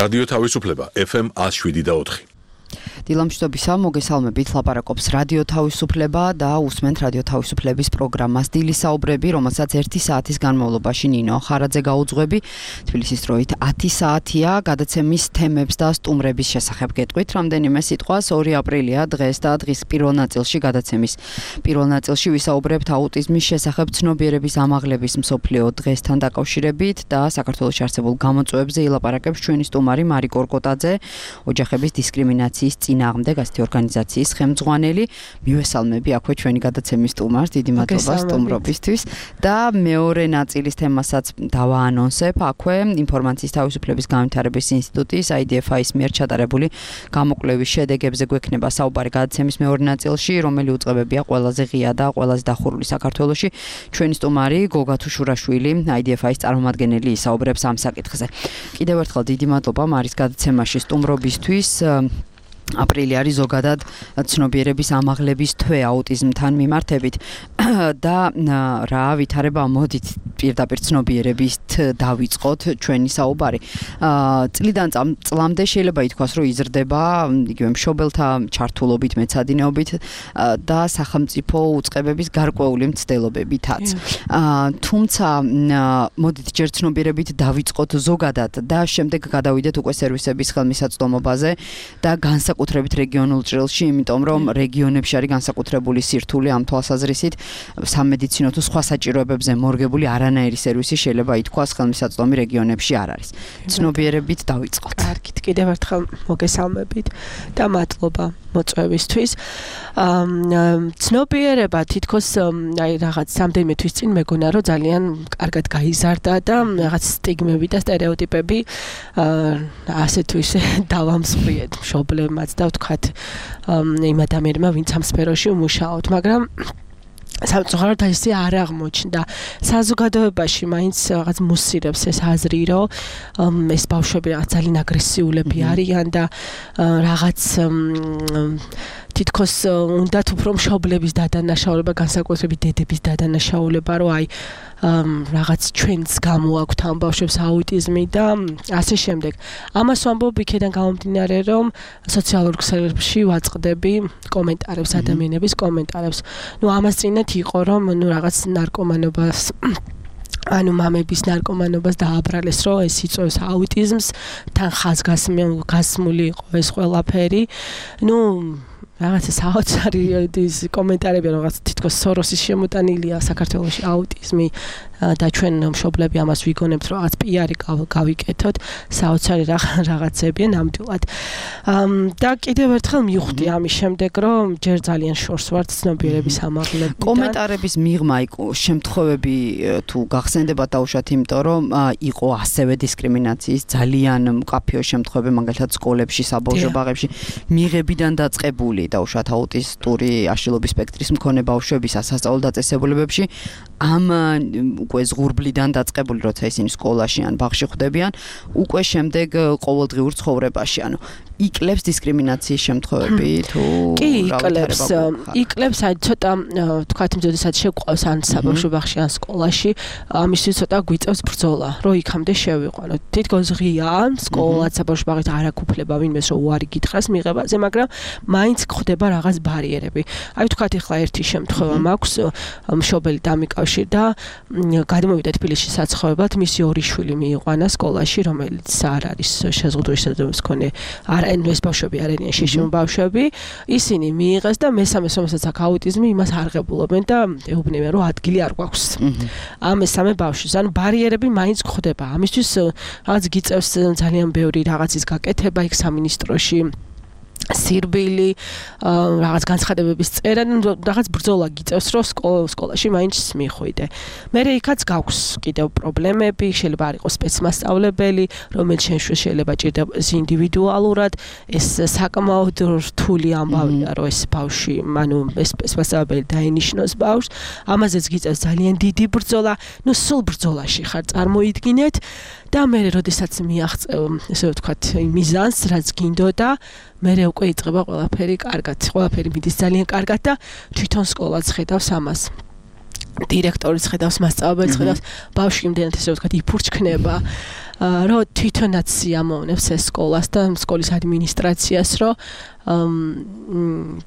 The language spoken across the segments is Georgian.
რადიო თავისუფლება FM 107.4. დილამშვიდობისა, მოგესალმებით, ლაპარაკობს რადიო თავისუფლება და უსმენთ რადიო თავისუფლების პროგრამას დილის საუბრები, რომელსაც 1 საათის განმავლობაში ნინო ხარაძე გაუძღვები. თბილისის დროით 10 საათია, გადაცემის თემებს და სტუმრების შესახებ გეტყვით. რამდენიმე სიტყვას 2 აპრილია დღეს და დღის პირველ ნაწილში გადაცემის პირველ ნაწილში ვისაუბრებთ აუტიზმის შესახებ ცნობიერების ამაღლების მსოფლიო დღესთან დაკავშირებით და საქართველოში არსებულ გამოწვევებზე ილაპარაკებს ჩვენი სტუმარი მარი კორკოტაძე, ოჯახების დისკრიმინაციის წინააღმდეგ ასეთი ორგანიზაციის ხელმძღვანელი. მივესალმები აქვე ჩვენი გადაცემის სტუმარს, დიდი მადლობა სტუმრობისთვის და მეორე ნაწილის თემასაც დავაანონსებ აქვე ინფორმაციის თავისუფლების განვითარების ინსტიტუტის IDFI-ის მიერ ჩატარებული გამოკვლევის შედეგებზე გვექნება საუბარი გადაცემის მეორე ნაწილში, რომელი უწყებებია ყველაზე ღია და ყველაზე დახურული საქართველოში. ჩვენი სტუმარი გოგა თუშურაშვილი, IDFI-ის წარმომადგენელი ისაუბრებს ამ საკითხზე. კიდევ ერთხელ დიდი მადლობა მარის გადაცემაში სტუმრობისთვის. აპრილი არის ზოგადად ცნობიერების ამაღლების თვე აუტიზმთან მიმართებით და რა ვითარება მოდით პირდაპირ ცნობიერებით დავიწყოთ ჩვენი საუბარი. წლიდან წლამდე შეიძლება ითქვას, რომ იზრდება იგივე მშობელთა ჩართულობით, მეცადინეობით და სახელმწიფო უწყებების გარკვეული მცდელობებითაც. თუმცა მოდით ჯერ ცნობიერებით დავიწყოთ ზოგადად და შემდეგ გადავიდეთ უკვე სერვისების ხელმისაწვდომობაზე და განსაკუთრებით რეგიონულ ჭრილში, იმიტომ რომ რეგიონებში არის განსაკუთრებული სირთულე ამ თვალსაზრისით სამედიცინო თუ სხვა საჭიროებებზე მორგებული არანაირი სერვისი შეიძლება ითქვას ხელმისაწვდომი რეგიონებში არ არის. ცნობიერებით დავიწყოთ. კარგით, კიდევ ერთხელ მოგესალმებით და მადლობა მოწვევისთვის. ცნობიერება თითქოს აი რაღაც რამდენიმე თვის წინ მეგონა რომ ძალიან კარგად გაიზარდა და რაღაც სტიგმები და სტერეოტიპები ასე თუ ისე დავამსხვრიეთ მშობლებმაც და ვთქვათ იმ ადამიანებმა ვინც ამ სფეროში უმუშაოთ, მაგრამ სამწუხაროდ ისე არ აღმოჩნდა. საზოგადოებაში მაინც რაღაც მუსირებს ეს აზრი, რომ ეს ბავშვები რაღაც ძალიან აგრესიულები არიან და რაღაც თითქოს უნდათ უფრო მშობლების დადანაშაულება, განსაკუთრებით დედების დადანაშაულება, რომ აი რაღაც ჩვენს გამოაქვთ ამ ბავშვებს აუტიზმი და ასე შემდეგ. ამას ვამბობ იქიდან გამომდინარე, რომ სოციალურ ქსელებში ვაწყდები კომენტარებს, ადამიანების კომენტარებს. ამას წინათ იყო, რომ რაღაც ნარკომანობას ანუ მამების ნარკომანობას დააბრალეს, რომ ეს იწვევს აუტიზმს, თან ხაზგასმული იყო ეს ყველაფერი. რაღაცა საოცარი ის კომენტარები, რაღაც თითქოს სოროსის შემოტანილია საქართველოში აუტიზმი და ჩვენ მშობლები ამას ვიგონებთ, რომ რაღაც პიარი გავიკეთოთ, საოცარი რაღაცებია ნამდვილად. და კიდევ ერთხელ მივხვდი ამის შემდეგ, რომ ჯერ ძალიან შორს ვართ ცნობიერების ამაღლებიდან. კომენტარების მიღმა შემთხვევები თუ გახსენდებათ დაუშვათ, იმიტომ რომ იყო ასევე დისკრიმინაციის ძალიან მკაფიო შემთხვევები, მაგალითად სკოლებში, საბავშვო ბაღებში მიღებიდან დაწყებული დაუშვათ აუტისტური აშლილობის სპექტრის მქონე ბავშვების სასწავლო დაწესებულებებში ამ უკვე ზღურბლიდან დაწყებული, როცა ისინი სკოლაში ან ბაღში ხვდებიან, უკვე შემდეგ ყოველდღიურ ცხოვრებაში, ანუ იკლებს დისკრიმინაციის შემთხვევები თუ კი იკლებს აი ცოტა თქვათ იმდენსაც შეგვყავს ან საბავშვო ბაღში ან სკოლაში, ამისთვის ცოტა გვიწევს ბრძოლა, რომ იქამდე შევიყვანოთ. თითქოს ღია სკოლაც საბავშვო ბაღით არ აქვს უფლება ვინმეს რომ უარი გითხრას მიღებაზე, მაგრამ მაინც ხდება რაღაც ბარიერები. აი თქვათ ახლა ერთი შემთხვევა მაქვს, მშობელი დამიკავშირდა, გადმოვიდა თბილისში საცხოვრებლად, მისი 2 შვილი მიიყვანა სკოლაში, რომელიც არ არის შეზღუდული შესაძლებლობის მქონე ეს ბავშვები არ არიან შეშიმო ბავშვები, ისინი მიიღეს და მესამე რომელსაც აქვს აუტიზმი, იმას არღებულობენ და ეუბნებიან, რომ ადგილი არ გვაქვს. ამ მესამე ბავშვის, ანუ ბარიერები მაინც გვხდება. ამისთვის რაღაც გიწევს ძალიან ბევრი რაღაცის გაკეთება იქ სამინისტროში. სირბილი, რაღაც განცხადებების წერა, რაღაც ბრძოლა გიწევს, რომ სკოლაში მაინც მიხვიდე. მერე იქაც გაქვს კიდევ პრობლემები, შეიძლება არ იყოს სპეცმასწავლებელი, რომელიც შეიძლება ჭირდება ინდივიდუალურად, ეს საკმაოდ რთული ამბავია, რომ ეს ბავშვი, ანუ ეს სპეცმასწავლებელი დაენიშნოს ბავშვს, ამაზეც გიწევს ძალიან დიდი ბრძოლა, სულ ბრძოლაში ხარ, წარმოიდგინეთ და მერე როდესაც მიაღწევ, ესე ვთქვათ, მიზანს, რაც გინდოდა, მერე უკვე იწყება ყველაფერი კარგად, ყველაფერი მიდის ძალიან კარგად და თვითონ სკოლაც ხედავს ამას. დირექტორიც ხედავს, მასწავლებელიც ხედავს, ბავშვი იმდენად ესე ვთქვათ, იფურჩქნება. რომ თვითონაც ამოვნებს ეს სკოლას და სკოლის ადმინისტრაციას, რომ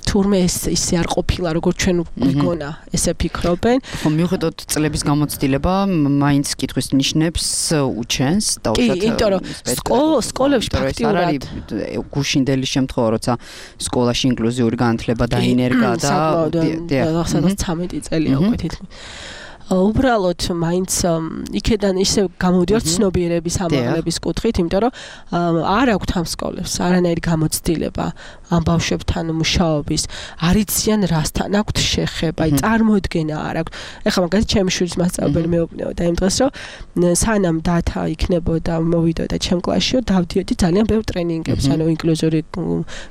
თურმე ისე არ ყოფილა, როგორც ჩვენ გვიგონა, ესე ფიქრობენ. ხო, მიუხედავად წლების გამოცდილება, მაინც კითხვის ნიშნებს უჩენს და უშუალოდ იმიტომ რომ სკოლებში ფაქტიურად გუშინდელი შემთხვევა, როცა სკოლაში ინკლუზიური განათლება დაინერგა და სადაც 13 წელია უკვე თითქმის უბრალოდ მაინც იქედან ისე გამოდიოდა ცნობიერების ამაღლების კუთხით, იმიტომ რომ არ აქვთ ამ სკოლებს არანაირი გამოცდილება ამ ბავშვებთან მუშაობის, არ იციან რასთან აქვთ შეხება, წარმოდგენა არ აქვთ. ეხლა მაგალითად ჩემი შვილის მასწავლებელი მეუბნებოდა იმ დღეს, რომ სანამ დათა იქნებოდა, მოვიდოდა ჩემ კლასში, დავდიოდი ძალიან ბევრ ტრენინგებს, ანუ ინკლუზიური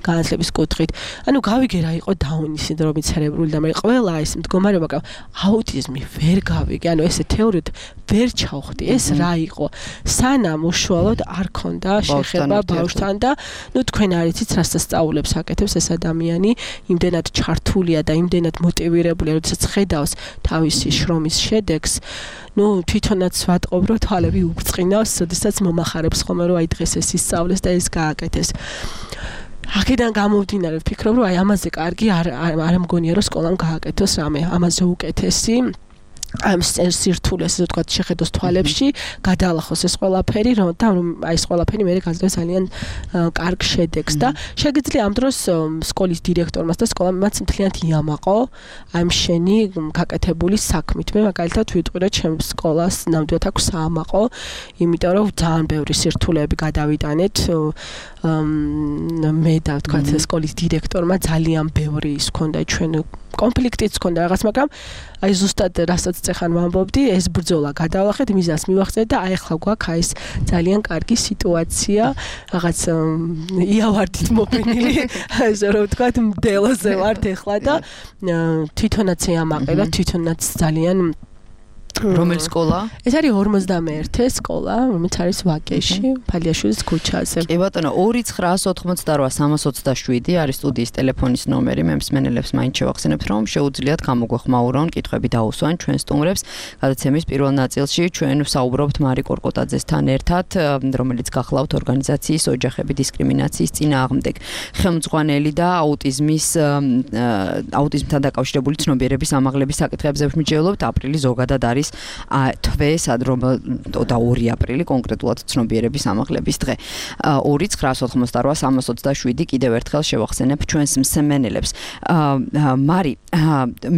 განათლების კუთხით. ანუ გავიგე რა იყო დაუნის სინდრომი, ცერებრული და მე ყველა ეს მდგომარეობა, აუტიზმი ვერ გავიგე, ანუ ესე თეორიით ვერ ჩავხდი, ეს რა იყო. სანამ უშუალოდ არ ქონდა შეხება ბავშვთან და ნუ თქვენ არ იცით რასაც სწავლებს აკეთებს ეს ადამიანი, იმდენად ჩართულია და იმდენად მოტივირებულია, როდესაც ხედავს თავისი შრომის შედეგს, ნუ თვითონაც ვატყობ, რომ თვალები უბრწყინავს, როდესაც მომახარებს ხოლმე, რომ აი დღეს ეს ისწავლეს და ეს გააკეთეს. აქედან გამომდინარე ვფიქრობ, რომ აი ამაზე კარგი არ მგონია, რომ სკოლამ გააკეთოს რამე, ამაზე უკეთესი ამ სირთულეს, ასე ვთქვათ, შეხედოს თვალებში, გადაალახოს ეს ყველაფერი, რომ აი ეს ყველაფერი მე გაძლევს ძალიან კარგ შედეგს და შეგიძლია ამ დროს სკოლის დირექტორმას და სკოლამაც მთლიანად იამაყო ამ შენი გაკეთებული საქმით. მე მაგალითად ვიტყვი, რომ ჩემ სკოლას ნამდვილად აქვს საამაყო, იმიტომ რომ ძალიან ბევრი სირთულეები გადავიტანეთ. მე და ვთქვათ, სკოლის დირექტორმა ძალიან ბევრი ის ჰქონდა ჩვენ კონფლიქტიც ჰქონდა რაღაც, მაგრამ აი ზუსტად რასაც წეხან ვამბობდი, ეს ბრძოლა გადავახეთ, მიზანს მივახცეთ და აი ახლა გვაქვს აი ეს ძალიან კარგი სიტუაცია, რაღაც იავარდით მოფენილი, ასე რომ ვთქვათ, მდელოზე ვართ ახლა და თვითონაც ეამაყე და თვითონაც ძალიან რომელი სკოლა? ეს არის 51 სკოლა, რომელიც არის ვაკეში, ფალიაშვილის ქუჩაზე. კი ბატონო, 2988327 არის სტუდიის ტელეფონის ნომერი. მე მსმენელებს მაინც შევახსენებთ, რომ შეუძლიათ გამოგვეხმაურონ, კითხვები დაუსვან ჩვენ სტუმრებს. გადაცემის პირველ ნაწილში ჩვენ ვსაუბრობთ მარი კორკოტაძესთან ერთად, რომელიც გახლავთ ორგანიზაციის ოჯახები დისკრიმინაციის წინააღმდეგ. ხელმძღვანელი და აუტიზმთან დაკავშირებული ცნობიერების ამაღლების საკითხებზე ვმიჯევლობთ. აპრილი ზოგადად არის თვე, რომ 2 აპრილი კონკრეტულად ცნობიერების ამაღლების დღე. 2988327 კიდევ ერთხელ შევახსენებ ჩვენს მსმენელებს. მარი,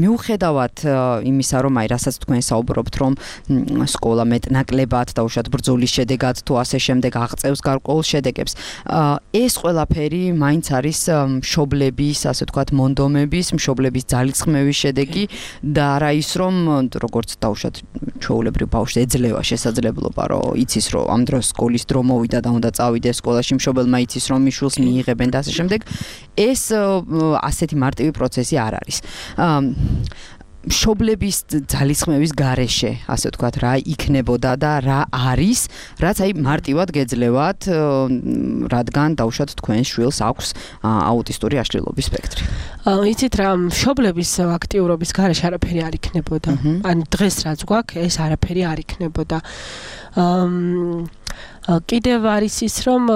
მიუხედავად იმისა, რომ აი რასაც თქვენ საუბრობთ, რომ სკოლა მეტნაკლებად და უშუალოდ ბრძოლის შედეგად თუ ასე შემდეგ აღწევს გარკვეულ შედეგებს, ეს ყველაფერი მაინც არის მშობლების, ასე ვთქვათ, მონდომების, მშობლების ძალისხმევის შედეგი და არა ის, რომ როგორც დაუშვათ ჩვეულებრივ ბავშვს ეძლევა შესაძლებლობა, რომ იცის, რომ ამ დროს სკოლის დრო მოვიდა და უნდა წავიდეს სკოლაში, მშობელმა იცის, რომ მიშვილს მიიღებენ და ასე შემდეგ. ეს ასეთი მარტივი პროცესი არ არის. მშობლების ძალისხმევის გარეშე, ასე ვთქვათ, რა იქნებოდა და რა არის, რაც აი მარტივად გეძლევათ, რადგან დაუშვათ თქვენს შვილს აქვს აუტისტური აშლილობის სპექტრი. იცით რა, მშობლების აქტიურობის გარეშე არაფერი არ იქნებოდა. ან დღეს რაც გვაქვს, ეს არაფერი არ იქნებოდა. კიდევ არის ის, რომ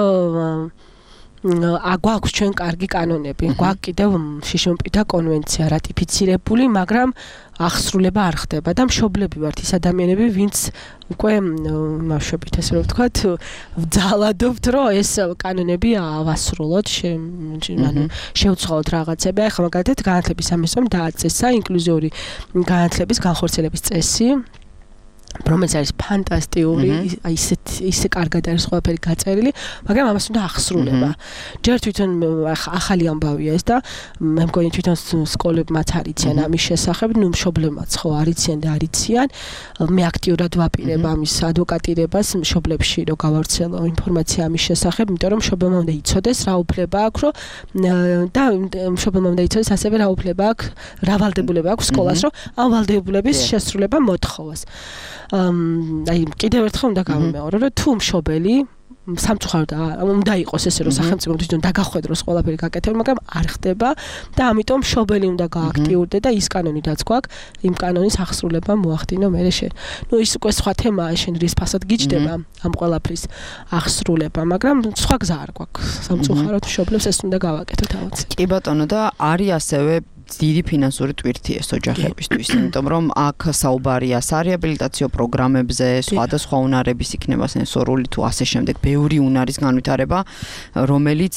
გვაქვს ჩვენ კარგი კანონები, გვაქვს კიდევ შიშმპირთა კონვენცია რატიფიცირებული, მაგრამ აღსრულება არ ხდება და მშობლები ვართ ის ადამიანები, ვინც უკვე მაშობით ასე რომ ვთქვათ, ვძალადობთ, რომ ეს კანონები ავასრულოთ, ანუ შევცვალოთ რაღაცები. ახლა მაგალითად განათლების სამინისტრომ დააწესა ინკლუზიური განათლების განხორციელების წესი, რომელიც არის ფანტასტიკური, აი ისე კარგად არის ყველაფერი გაწერილი, მაგრამ ამას უნდა ახსრულება. ჯერ თვითონ ახალი ამბავია ეს და მე მგონი თვითონ სკოლებმაც არიციან ამის შესახებ, ნუ მშობლებმაც ხო არიციან და არიციან. მე აქტიურად ვაპირებ ამის ადვოკატირებას მშობლებში, რომ გავავრცელო ინფორმაცია ამის შესახებ, იმიტომ რომ მშობლებმა უნდა იცოდეს რა უფლება აქვს, და მშობლებმა უნდა იცოდეს ასევე რა უფლება აქვს, რა ვალდებულება აქვს სკოლას, რომ ამ ვალდებულების შესრულება მოთხოვოს. აი კიდევ ერთხელ უნდა გავიმეორო, რომ თუ მშობელი სამწუხაროდ უნდა იყოს ესე რომ სახელმწიფო თვითონ დაგახვედროს ყველაფერი გაკეთება, მაგრამ არ ხდება და ამიტომ მშობელი უნდა გააქტიურდე და ის კანონიდაც გვაქვს, იმ კანონის აღსრულება მოახდინო მერე შენ. ის უკვე სხვა თემაა, შენ რის ფასად გიჯდება ამ ყველაფრის აღსრულება, მაგრამ სხვა გზა არ გვაქვს. სამწუხაროდ მშობლებს ეს უნდა გავაკეთოთ აუცილებლად. კი ბატონო და არის ასევე დიდი ფინანსური ტვირთი ეს ოჯახებისთვის, იმიტომ რომ აქ საუბარია სარეაბილიტაციო პროგრამებზე, სხვადასხვა უნარების იქნება სენსორული თუ ასე შემდეგ, ბევრი უნარის განვითარება, რომელიც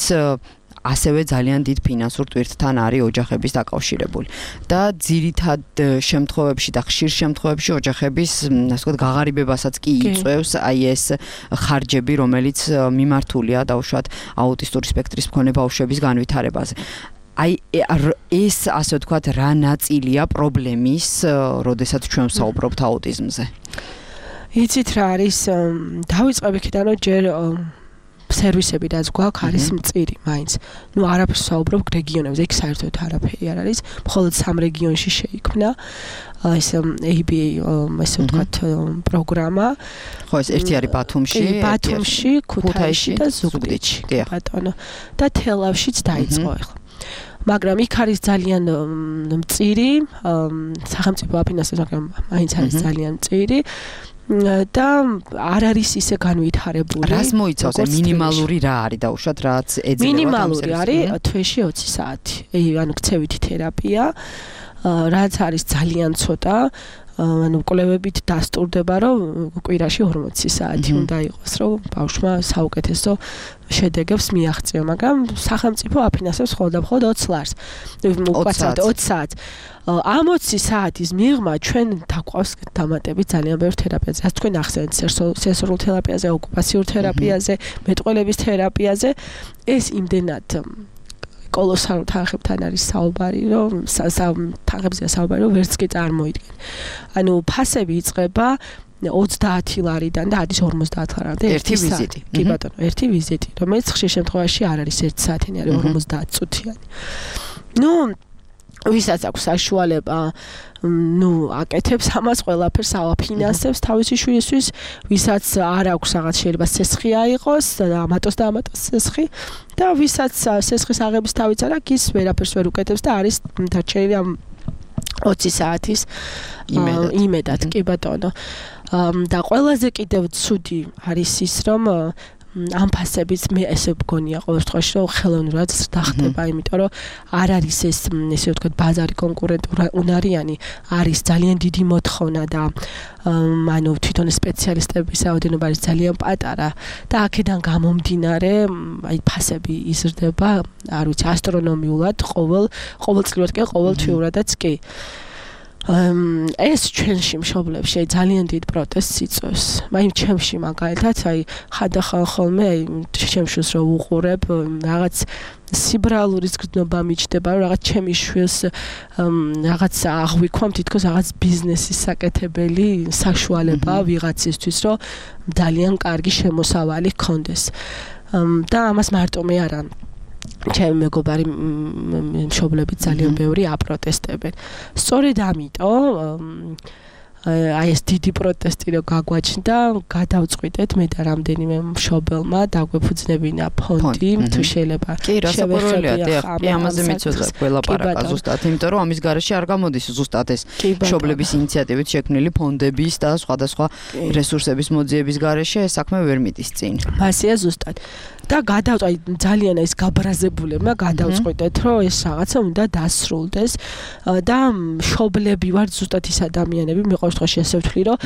ასევე ძალიან დიდ ფინანსურ ტვირთთან არის ოჯახების დაკავშირებული. და ძირითად შემთხვევებში და ხშირ შემთხვევებში ოჯახების, ასე ვთქვათ, გაღარიბებასაც კი იწვევს აი ეს ხარჯები, რომელიც მიმართულია დაუშვათ აუტისტური სპექტრის მქონე ბავშვების განვითარებაზე. აი ეს ასე ვთქვათ რა ნაწილია პრობლემის, როდესაც ჩვენ ვსაუბრობთ აუტიზმზე. იცით რა არის, დავიწყებ იქიდან რომ ჯერ სერვისები რაც გვაქვს არის მწირი მაინც. არაფერს ვსაუბრობ რეგიონებზე, იქ საერთოდ არაფერი არ არის, მხოლოდ 3 რეგიონში შეიქმნა ეს ABA ასე ვთქვათ პროგრამა. ხო, ეს ერთი არის ბათუმში, ქუთაისში და ზუგდიდში. ბატონო. და თელავშიც დაიწყო ახლა. მაგრამ იქ არის ძალიან მწირი, სახელმწიფო აფინანსებს, მაგრამ მაინც არის ძალიან მწირი. და არ არის ისე განვითარებული. რას მოიცავს მინიმალური რა არის დაუშვათ რაც ეძება? მინიმალური არის თვეში 20 საათი. ანუ ქცევითი თერაპია, რაც არის ძალიან ცოტა. კვლევებით დასტურდება, რომ კვირაში 40 საათი უნდა იყოს, რომ ბავშვმა საუკეთესო შედეგებს მიაღწიო, მაგრამ სახელმწიფო აფინანსებს მხოლოდ 20 ლარს. 20 საათს. ამ 20 საათის მიღმა ჩვენ დაყვავს დამატებით ძალიან ბევრ თერაპიაზე. რაც თქვენ ახსენეთ, სენსორულ თერაპიაზე, ოკუპაციურ თერაპიაზე, მეტყველების თერაპიაზე, ეს იმდენად კოლოსალურ თანხებთან არის საუბარი, რომ თანხებზეა საუბარი, რომ ვერც კი წარმოიდგენ. ანუ ფასები იწყება 30 ლარიდან და არის 50 ლარამდე ერთი ვიზიტი. კი ბატონო, ერთი ვიზიტი, რომელიც ხშირ შემთხვევაში არ არის 1 საათიანი, არის 50 წუთიანი. ვისაც აქვს საშუალება, აკეთებს ამას ყველაფერს, ავაფინანსებს თავისი შვილისთვის, ვისაც არ აქვს რაღაც შეიძლება სესხი აიღოს, ამატოს და ამატოს სესხი და ვისაც სესხის აღების თავიც არ აქვს, ის ვერაფერს ვერ უკეთებს და არის დარჩენილი ამ 20 საათის იმედად, კი ბატონო. და ყველაზე კიდევ ცუდი არის ის, რომ ამ ფასებიც მე ესე მგონია ყოველ შემთხვევაში რომ ხელოვნურად დახტება, იმიტომ რომ არ არის ეს ესე ვთქვათ ბაზარი კონკურენტუნარიანი, არის ძალიან დიდი მოთხოვნა და ანუ თვითონ სპეციალისტების რაოდენობა არის ძალიან პატარა და აქედან გამომდინარე აი ფასები იზრდება, არ ვიცი, ასტრონომიულად ყოველწლიურად კი ყოველთვიურადაც კი. ეს ჩვენში მშობლებში ძალიან დიდ პროტესტს იწვევს. მაინც ჩემში მაგალითად, აი ხანდახან ხოლმე აი ჩემშვილს რო უყურებ, რაღაც სიბრალურის გრძნობა მიჩნდება, რომ რაღაც ჩემი შვილს რაღაც აღვიქვამ თითქოს რაღაც ბიზნესის საკეთებელი საშუალება ვიღაცისთვის, რომ ძალიან კარგი შემოსავალი ჰქონდეს. და ამას მარტო მე არა ჩემი მეგობარი მშობლები ძალიან ბევრი აპროტესტებენ. სწორედ ამიტომ აი ეს დიდი პროტესტი რო გაგვაჩნდა, გადავწყვიტეთ მე და რამდენიმე მშობელმა დაგვეფუძნებინა ფონდი, თუ შეიძლება. კი, რასაკვირველია, კი, ამაზე მეცოდა ყველაპარაკა ზუსტად, იმიტომ რომ ამის გარეშე არ გამოდის ზუსტად ეს მშობლების ინიციატივით შექმნილი ფონდების და სხვადასხვა რესურსების მოძიების გარეშე ეს საქმე ვერ მიდის წინ. მასია ზუსტად. და ძალიან ეს გაბრაზებულებმა გადავწყვიტეთ, რომ ეს რაღაცა უნდა დასრულდეს და მშობლები ვართ ზუსტად ის ადამიანები, მე ყოველ შემთხვევაში ასე ვთვლი, რომ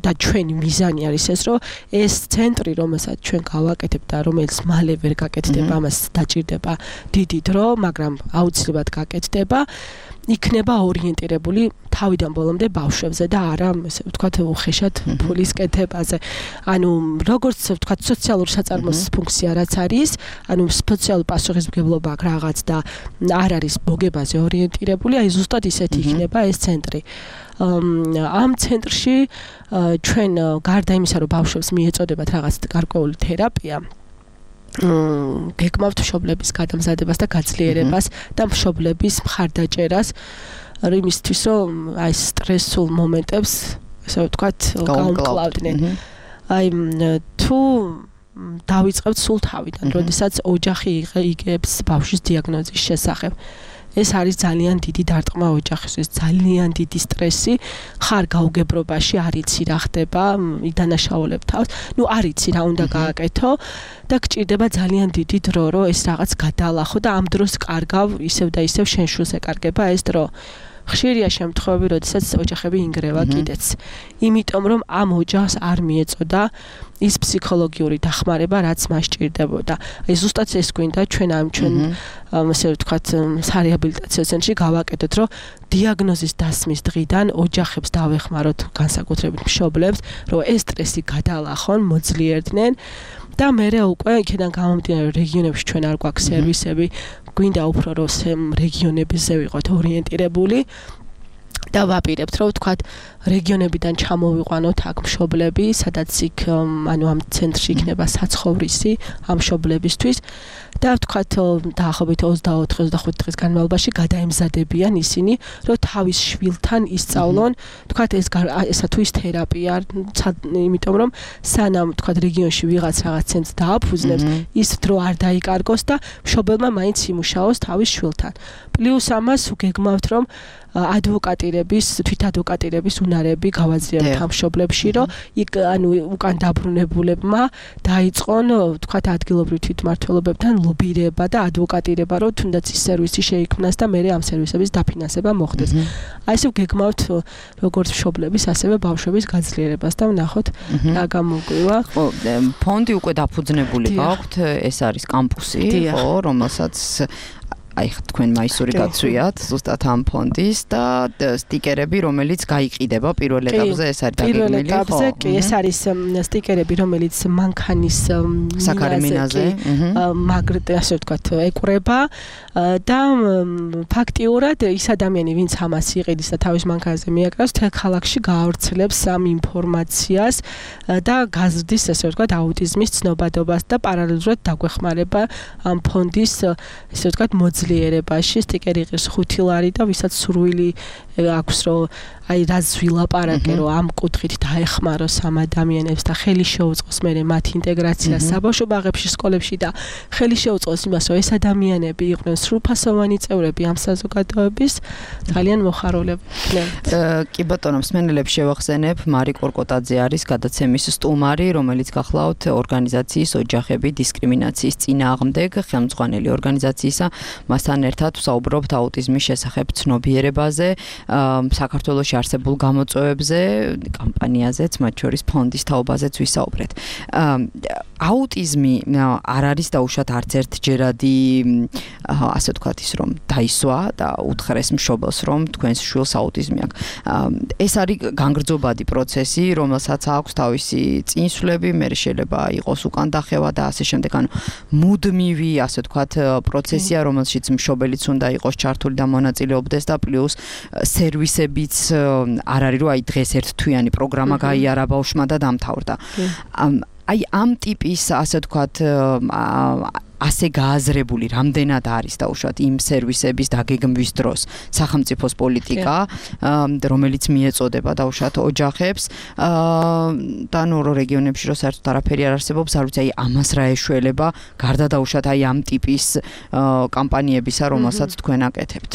და ჩვენი მიზანი არის ეს, რომ ეს ცენტრი, რომელსაც ჩვენ გავაკეთებთ და რომელიც მალე ვერ გაკეთდება, ამას დაჭირდება დიდი დრო, მაგრამ აუცილებლად გაკეთდება. იქნება ორიენტირებული თავიდან ბოლომდე ბავშვებზე და არა, ესე ვთქვათ, უხეშად ფულის კეთებაზე. ანუ როგორც ვთქვათ, სოციალურ საწარმოს ფუნქცია რაც არის, ანუ სოციალური პასუხისმგებლობა აქვს რაღაც და არ არის მოგებაზე ორიენტირებული, აი ზუსტად ისეთი იქნება ეს ცენტრი. ამ ცენტრში ჩვენ გარდა იმისა, რომ ბავშვებს მიეწოდებათ რაღაც გარკვეული თერაპია, გეკმავთ მშობლების გადამზადებას და გაძლიერებას და მშობლების მხარდაჭერას იმისთვის, რომ აი სტრესულ მომენტებს, ასე ვთქვათ, გაუმკლავდნენ. აი თუ დავიწყებთ სულ თავიდან, როდესაც ოჯახი იგებს ბავშვის დიაგნოზის შესახებ. ეს არის ძალიან დიდი დარტყმა ოჯახისთვის, ძალიან დიდი სტრესი, ხარ გაუგებრობაში, არ იცი რა ხდება, იდანაშაულებ თავს. არ იცი რა უნდა გააკეთო და გჭირდება ძალიან დიდი დრო, რომ ეს რაღაც გადაალახო და ამ დროს კარგავ ისევ და ისევ შენ შულს ეკარგება ეს დრო. ხშირია შემთხვევები, როდესაც ოჯახები ინგრევა კიდეც. იმიტომ რომ ამ ოჯახს არ მიეწოდა ის ფსიქოლოგიური დახმარება, რაც მას ჭირდებოდა. აი ზუსტად ეს გვინდა ჩვენ ასე ვთქვათ, სარეაბილიტაციო ცენტრში გავაკეთოთ, რომ დიაგნოზის დასმის დღიდან ოჯახებს დავეხმაროთ, განსაკუთრებით მშობლებს, რომ ეს სტრესი გადაალახონ, მოძლიერდნენ და მერე უკვე იქიდან გამომდინარე რეგიონებში ჩვენ არ გვაქვს სერვისები, გვინდა უფრო რომ რეგიონებზე ვიყოთ ორიენტირებული და ვაპირებთ რომ ვთქვათ რეგიონებიდან ჩამოვიყვანოთ აქ მშობლები, სადაც იქ ამ ცენტრში იქნება საცხოვრისი ამ მშობლებისთვის და ვთქვათ დაახლოებით 24-25 დღის განმავლობაში გადაემზადებიან ისინი, რომ თავის შვილთან ისწავლონ, ვთქვათ ესა თუ ის თერაპია, იმიტომ რომ სანამ ვთქვათ რეგიონში ვიღაც რაღაც ცენტრს დააფუძნებს, ის დრო არ დაიკარგოს და მშობელმა მაინც იმუშაოს თავის შვილთან. პლუს ამას გეგმავთ რომ თვითადვოკატირების უნარები გავაძლიეროთ ამ მშობლებში, რომ უკან დაბრუნებულებმა დაიწყონ ვთქვათ ადგილობრივ თვითმმართველობებთან ლობირება და ადვოკატირება, რომ თუნდაც ის სერვისი შეიქმნას და მერე ამ სერვისების დაფინანსება მოხდეს. აი ესე გეგმავთ როგორც მშობლების, ასევე ბავშვების გაძლიერებას და ვნახოთ რა გამოგვივა. ხო, ფონდი უკვე დაფუძნებული გაქვთ, ეს არის კამპუსი, ხო, რომელსაც აი თქვენ მაისური გაცვიათ ზუსტად ამ ფონდის და სტიკერები, რომელიც გაიყიდება პირველ ეტაპზე, ეს არის დაგეგმილი, ხო? პირველ ეტაპზე კი, ეს არის სტიკერები, რომელიც მანქანის საქარემინაზე, ასე ვთქვათ, ეკვრება და ფაქტიურად ის ადამიანი, ვინც ამას იყიდის და თავის მანქანაზე მიაკრავს, თელ ქალაქში გაავრცელებს ამ ინფორმაციას და გაზრდის, ასე ვთქვათ, აუტიზმის ცნობადობას და პარალელურად დაგვეხმარება ამ ფონდის, ასე ვთქვათ, ძლიერებაში. სტიკერი ღირს 5 ლარი და ვისაც სურვილი აქვს რომ აი რაც ვილაპარაკე რომ ამ კუთხით დაეხმაროს ამ ადამიანებს და ხელი შეუწყოს მერე მათ ინტეგრაციას საბავშვო ბაღებში, სკოლებში და ხელი შეუწყოს იმას რომ ეს ადამიანები იყვნენ სრულფასოვანი წევრები ამ საზოგადოების, ძალიან მოხარულებდნენ. კი ბატონო, მსმენელებს შევახსენებ, მარი კორკოტაძე არის გადაცემის სტუმარი, რომელიც გახლავთ ორგანიზაციის ოჯახები დისკრიმინაციის წინააღმდეგ ხელმძღვანელი ორგანიზაციისა. მასთან ერთად ვსაუბრობთ აუტიზმის შესახებ ცნობიერებაზე, საქართველოში არსებულ გამოწვევებზე, კამპანიაზეც, მათ შორის ფონდის თაობაზეც ვისაუბრეთ. აუტიზმი არ არის დაუშვათ არც ერთჯერადი, ასე ვთქვათ ის რომ დაისვა და უთხრეს მშობელს რომ თქვენს შვილს აუტიზმი აქვს. ეს არის განგრძობადი პროცესი, რომელსაც აქვს თავისი წინსვლები, მერე შეიძლება იყოს უკან დახევა და ასე შემდეგ. მუდმივი, ასე ვთქვათ, პროცესია, რომელშიც მშობელიც უნდა იყოს ჩართული და მონაწილეობდეს და პლუს სერვისებიც არ არის რომ აი დღეს ერთთვიანი პროგრამა გაიარა ბავშვმა და დამთავრდა. აი ამ ტიპის, ასე ვთქვათ, ასე გააზრებული რამდენად არის დაუშვათ იმ სერვისების დაგეგმვის დროს სახელმწიფოს პოლიტიკა, რომელიც მიეწოდება დაუშვათ ოჯახებს და ნუ რეგიონებში რო საერთოდ არაფერი არ არსებობს, არ ვიცი აი ამას რა ეშველება, გარდა დაუშვათ აი ამ ტიპის კამპანიებისა, რომელსაც თქვენ აკეთებთ.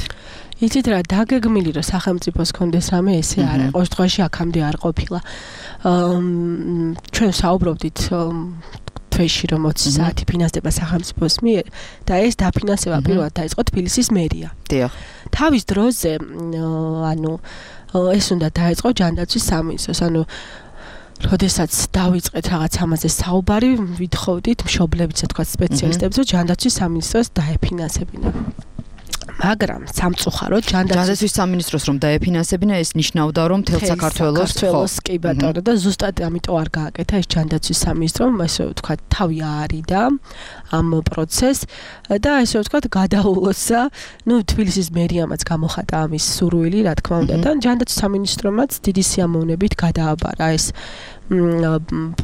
იცით რა, დაგეგმილი რომ სახელმწიფოს კონდეს რამე ესე არ არის, ყოველ შემთხვევაში აქამდე არ ყოფილა. ჩვენ საუბრობდით თვეში რომ 20 საათი ფინანსდება სახელმწიფოს მიერ და ეს დაფინანსება პირველად დაიწყო თბილისის მერია. დიახ. თავის დროზე ეს უნდა დაიწყო ჯანდაცვის სამინისტროს, როდესაც დავიწყეთ რაღაც ამაზე საუბარი, ვითხოვდით მშობლებიც, თქვათ სპეციალისტებს, რომ ჯანდაცვის სამინისტროს დაეფინანსებინა. მაგრამ სამწუხაროდ ჯანდაცვის სამინისტროს რომ დაეფინანსებინა, ეს ნიშნავდა რომ მთელ საქართველოს კი ბატონო და ზუსტად ამიტომ არ გააკეთა ეს ჯანდაცვის სამინისტრომ, ასე ვთქვათ, თავი აარიდა ამ პროცესს და ასე ვთქვათ, გადაულოცა, თბილისის მერიამაც გამოხატა ამის სურვილი, რა თქმა უნდა, და ჯანდაცვის სამინისტრომაც დიდი სიამოვნებით გადააბარა ეს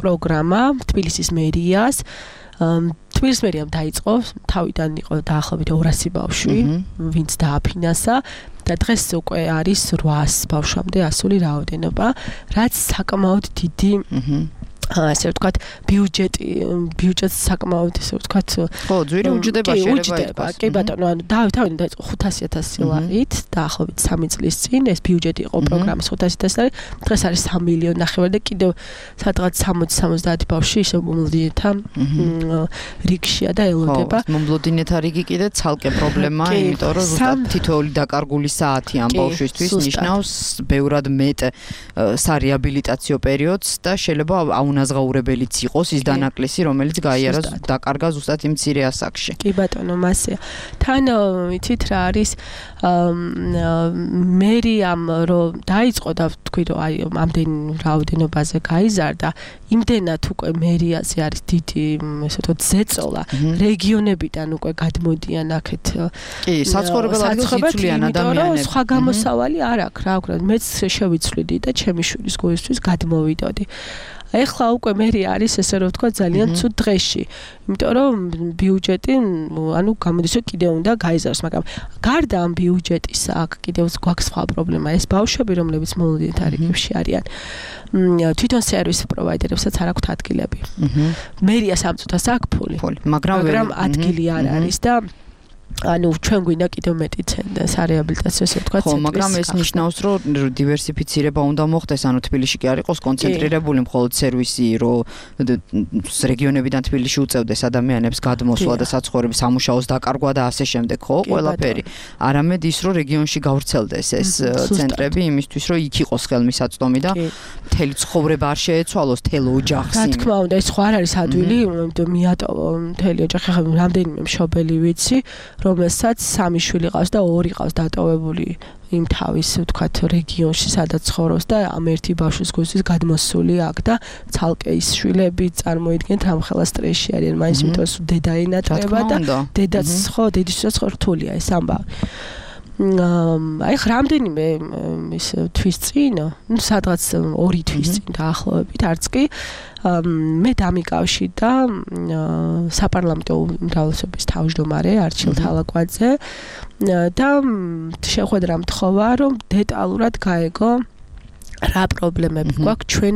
პროგრამა თბილისის მერიას. თბილისის მერიამ დაიწყო, თავიდან იყო დაახლოებით 200 ბავშვი, ვინც დააფინანსა და დღეს უკვე არის 800 ბავშვამდე ასული რაოდენობა, რაც საკმაოდ დიდი ასე ვთქვათ, ბიუჯეტს საკმაოდ ესე ვთქვათ, ხო, ძვირი უჯდება შეიძლება. კი ბატონო, ანუ თავიდან დაიწყო 500,000 ლარით, დაახლოებით 3 წლის წინ ეს ბიუჯეტი იყო პროგრამის 500,000 ლარი, დღეს არის 3 მილიონი ნახევარი და კიდევ სადღაც 60-70 ბავშვი ისე მომლოდინეთა რიგშია და ელოდება. ხო, მომლოდინეთა რიგი კიდე ცალკე პრობლემაა, იმიტომ რომ ზუსტად თითოეული დაკარგული საათი ამ ბავშვისთვის ნიშნავს ბევრად მეტ სარეაბილიტაციო პერიოდს და შეიძლება აუნაზღაურებელიც იყოს ის დანაკლისი, რომელიც გაიარა დაკარგა ზუსტად იმ მცირე ასაკში. კი ბატონო, მასეა. თან იცით რა არის მერიამ რომ დაიწყო და თქვი რომ აი ამდენ რაოდენობაზე გაიზარდა, იმდენად უკვე მერიაზე არის დიდი, ესე ვთქვათ, ზეწოლა, რეგიონებიდან უკვე გადმოდიან აქეთ. კი, საცხოვრებელ ადგილს იცვლიან ადამიანები. სხვა გამოსავალი არ აქვს, რა ვქნა, მეც შევიცვლიდი და ჩემი შვილის გულისთვის გადმოვიდოდი. ეხლა უკვე მერი არის ესე რომ ვთქვა ძალიან ცუდ დღეში. იმიტომ რომ ბიუჯეტი, ანუ გამოდის რომ კიდევ უნდა გაიზარდოს, მაგრამ გარდა ამ ბიუჯეტისა, აქ კიდევ გვაქვს სხვა პრობლემა. ეს ბავშვები, რომლებიც მომლოდინეთა რიგებში არიან, თვითონ სერვის პროვაიდერებსაც არ აქვთ ადგილები. მერია სამწუთას აქვს ფული, მაგრამ ადგილი არ არის და ანუ ჩვენ გვინდა კიდევ მეტი სარეაბილიტაციო ესე ვთქვათ. ხო, მაგრამ ეს ნიშნავს, რომ დივერსიფიცირება უნდა მოხდეს, ანუ თბილისში კი არ იყოს კონცენტრირებული მხოლოდ სერვისი, რომ რეგიონებიდან თბილისში უწევდეს ადამიანებს გადმოსვლა და საცხოვრების სამუშაოს დაკარგვა და ასე შემდეგ, ხო, ყველაფერი. არამედ ის, რომ რეგიონში გავრცელდეს ეს ცენტრები იმისთვის, რომ იქ იყოს ხელმისაწვდომი და მთელი ცხოვრება არ შეეცვალოს თელ ოჯახს. რა თქმა უნდა, ეს ხო არ არის ადვილი, იმიტომ მიატოვა მთელი ოჯახი, ხა რამდენიმე მშობელი ვიცი, რომელსაც 3 შვილი ყავს და 2 ყავს დატოვებული იმ თავის ვთქვათ რეგიონში, სადაც ცხოვრობს და ამ ერთი ბავშვის გულისთვის გადმოსული აქ და ცალკე ის შვილები წარმოიდგენთ რამხელა სტრესში არიან, მაინც იმიტომ რომ დედა ენატრება და დედაც ხო, დედისთვისაც რთულია ეს ამბავი. აი რამდენიმე ის თვის წინ, ну სადღაც 2 თვის წინ დაახლოებით, არც კი მე დამიკავშირდა საპარლამენტო უმრავლესობის თავმჯდომარე არჩილ თალაკვაძე და შეხვედრა მთხოვა, რომ დეტალურად გაეგო რა პრობლემები გვაქვს ჩვენ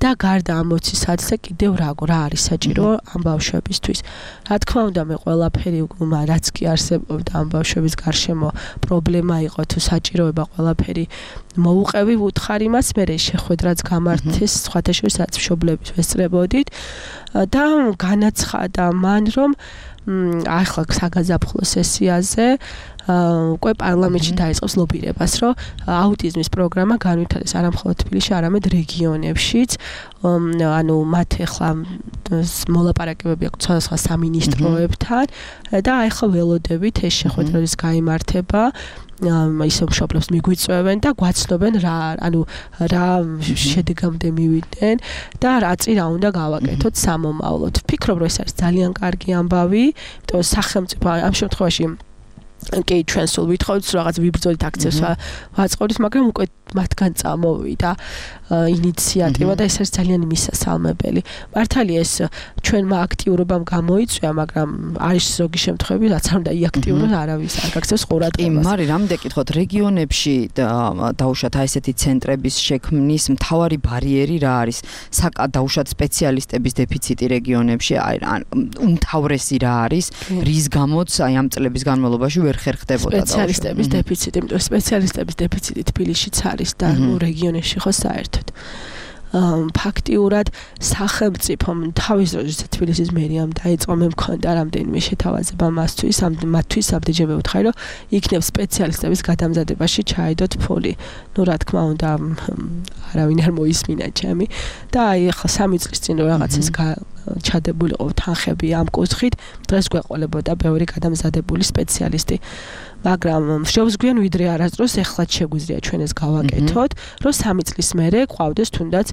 და გარდა ამ 20 საათზე კიდევ რა არის საჭირო ამ ბავშვებისთვის. რა თქმა უნდა, მე ყველაფერი რაც კი არსებობდა ამ ბავშვების გარშემო პრობლემა იყო თუ საჭიროება ყველაფერი მოუყევი ვუთხარი მას, მე შეხვედრაც გამართეს სხვათა შორის რაც მშობლების ვესწრებოდით და განაცხადა მან რომ ახლა საგაზაფხულო სესიაზე უკვე პარლამენტში დაიწყოს ლობირებას, რომ აუტიზმის პროგრამა განვითარდეს არა მხოლოდ თბილისში, არამედ რეგიონებშიც. ანუ მათ ახლა მოლაპარაკებები აქვს სხვადასხვა სამინისტროებთან და ახლა ველოდებით ეს შეხვედრა ის გაიმართება. ისო მშობლებს მიგვიწევენ და გვაცნობენ რა შედეგამდე მივიდნენ და რა უნდა გავაკეთოთ სამომავლოდ. ვფიქრობ, რომ ეს არის ძალიან კარგი ამბავი, იმიტომ რომ სახელმწიფო ამ შემთხვევაში კი ჩვენ სულ ვითხოვთ რაღაც ვიბრძოლით აქციებს ვაწყობთ, მაგრამ უკვე მათგან წამოვიდა ინიციატივა და ეს არის ძალიან მისასალმებელი. მართალია ეს ჩვენმა აქტიურობამ გამოიწვია, მაგრამ არის ზოგი შემთხვევები, რაც არ უნდა იაქტიუროს, არავის არ გაქცევს ყურადღებას. მარი, რამდენი კითხოთ, რეგიონებში დაუშვათ ესეთი ცენტრების შექმნის მთავარი ბარიერი რა არის? დაუშვათ სპეციალისტების დეფიციტი რეგიონებში, უმთავრესი რა არის, რის გამოც აი ამ წლების განმავლობაში ვერ ხერხდებოდა სპეციალისტების დეფიციტი, იმიტომ რომ სპეციალისტების დეფიციტი თბილისშიც არის და რეგიონებში ხო საერთოდ. ფაქტიურად სახელმწიფომ თავის დროზე თბილისის მერიამ დაიწყო, მე მქონდა რამდენიმე შეთავაზება მათთვის ამდენჯერმე ვუთხარი, რომ იქნებ სპეციალისტების გადამზადებაში ჩაედოთ ფული. ნუ რა თქმა უნდა, არავინ არ მოისმინა ჩემი და აი ახლა 3 წლის წინ რაღაცას ჩადებულიყო თანხები ამ კუთხით, დღეს გვეყოლებოდა ბევრი გადამზადებული სპეციალისტი. მაგრამ შევს გვიან ვიდრე არასდროს ეხლა შეგვიძლია ჩვენ ეს გავაკეთოთ, რომ 3 წლის მერე ყავდეს თუნდაც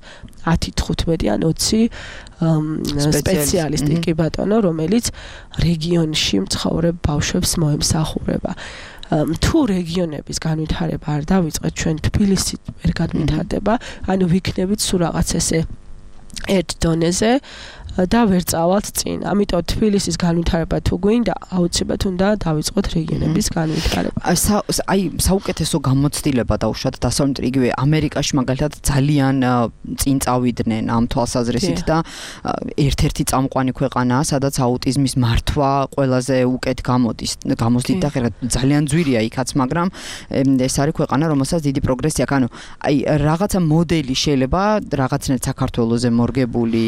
10-15 ან 20 სპეციალისტი კი ბატონო, რომელიც რეგიონში მცხოვრებ ბავშვებს მოემსახურება. თუ რეგიონების განვითარება არ დავიწყეთ, ჩვენ თბილისი ვერ განვითარდება, ანუ ვიქნებით სულ რაღაც ესე ერთ დონეზე, და ვერ წავალთ წინ. ამიტომ თბილისის განვითარება თუ გვინდა, აუცილებლად უნდა დავიწყოთ რეგიონების განვითარება. აი საუკეთესო გამოცდილება დაუშვათ დასავლეთ იგივე ამერიკაში მაგალითად ძალიან წინ წავიდნენ ამ თვალსაზრისით და ერთ-ერთი წამყვანი ქვეყანაა, სადაც აუტიზმის მართვა ყველაზე უკეთ გამოსდით და ძალიან ძვირია იქაც, მაგრამ ეს არის ქვეყანა, რომელსაც დიდი პროგრესი აქვს. ანუ აი რაღაცა მოდელი შეიძლება რაღაცნაირად საქართველოზე მორგებული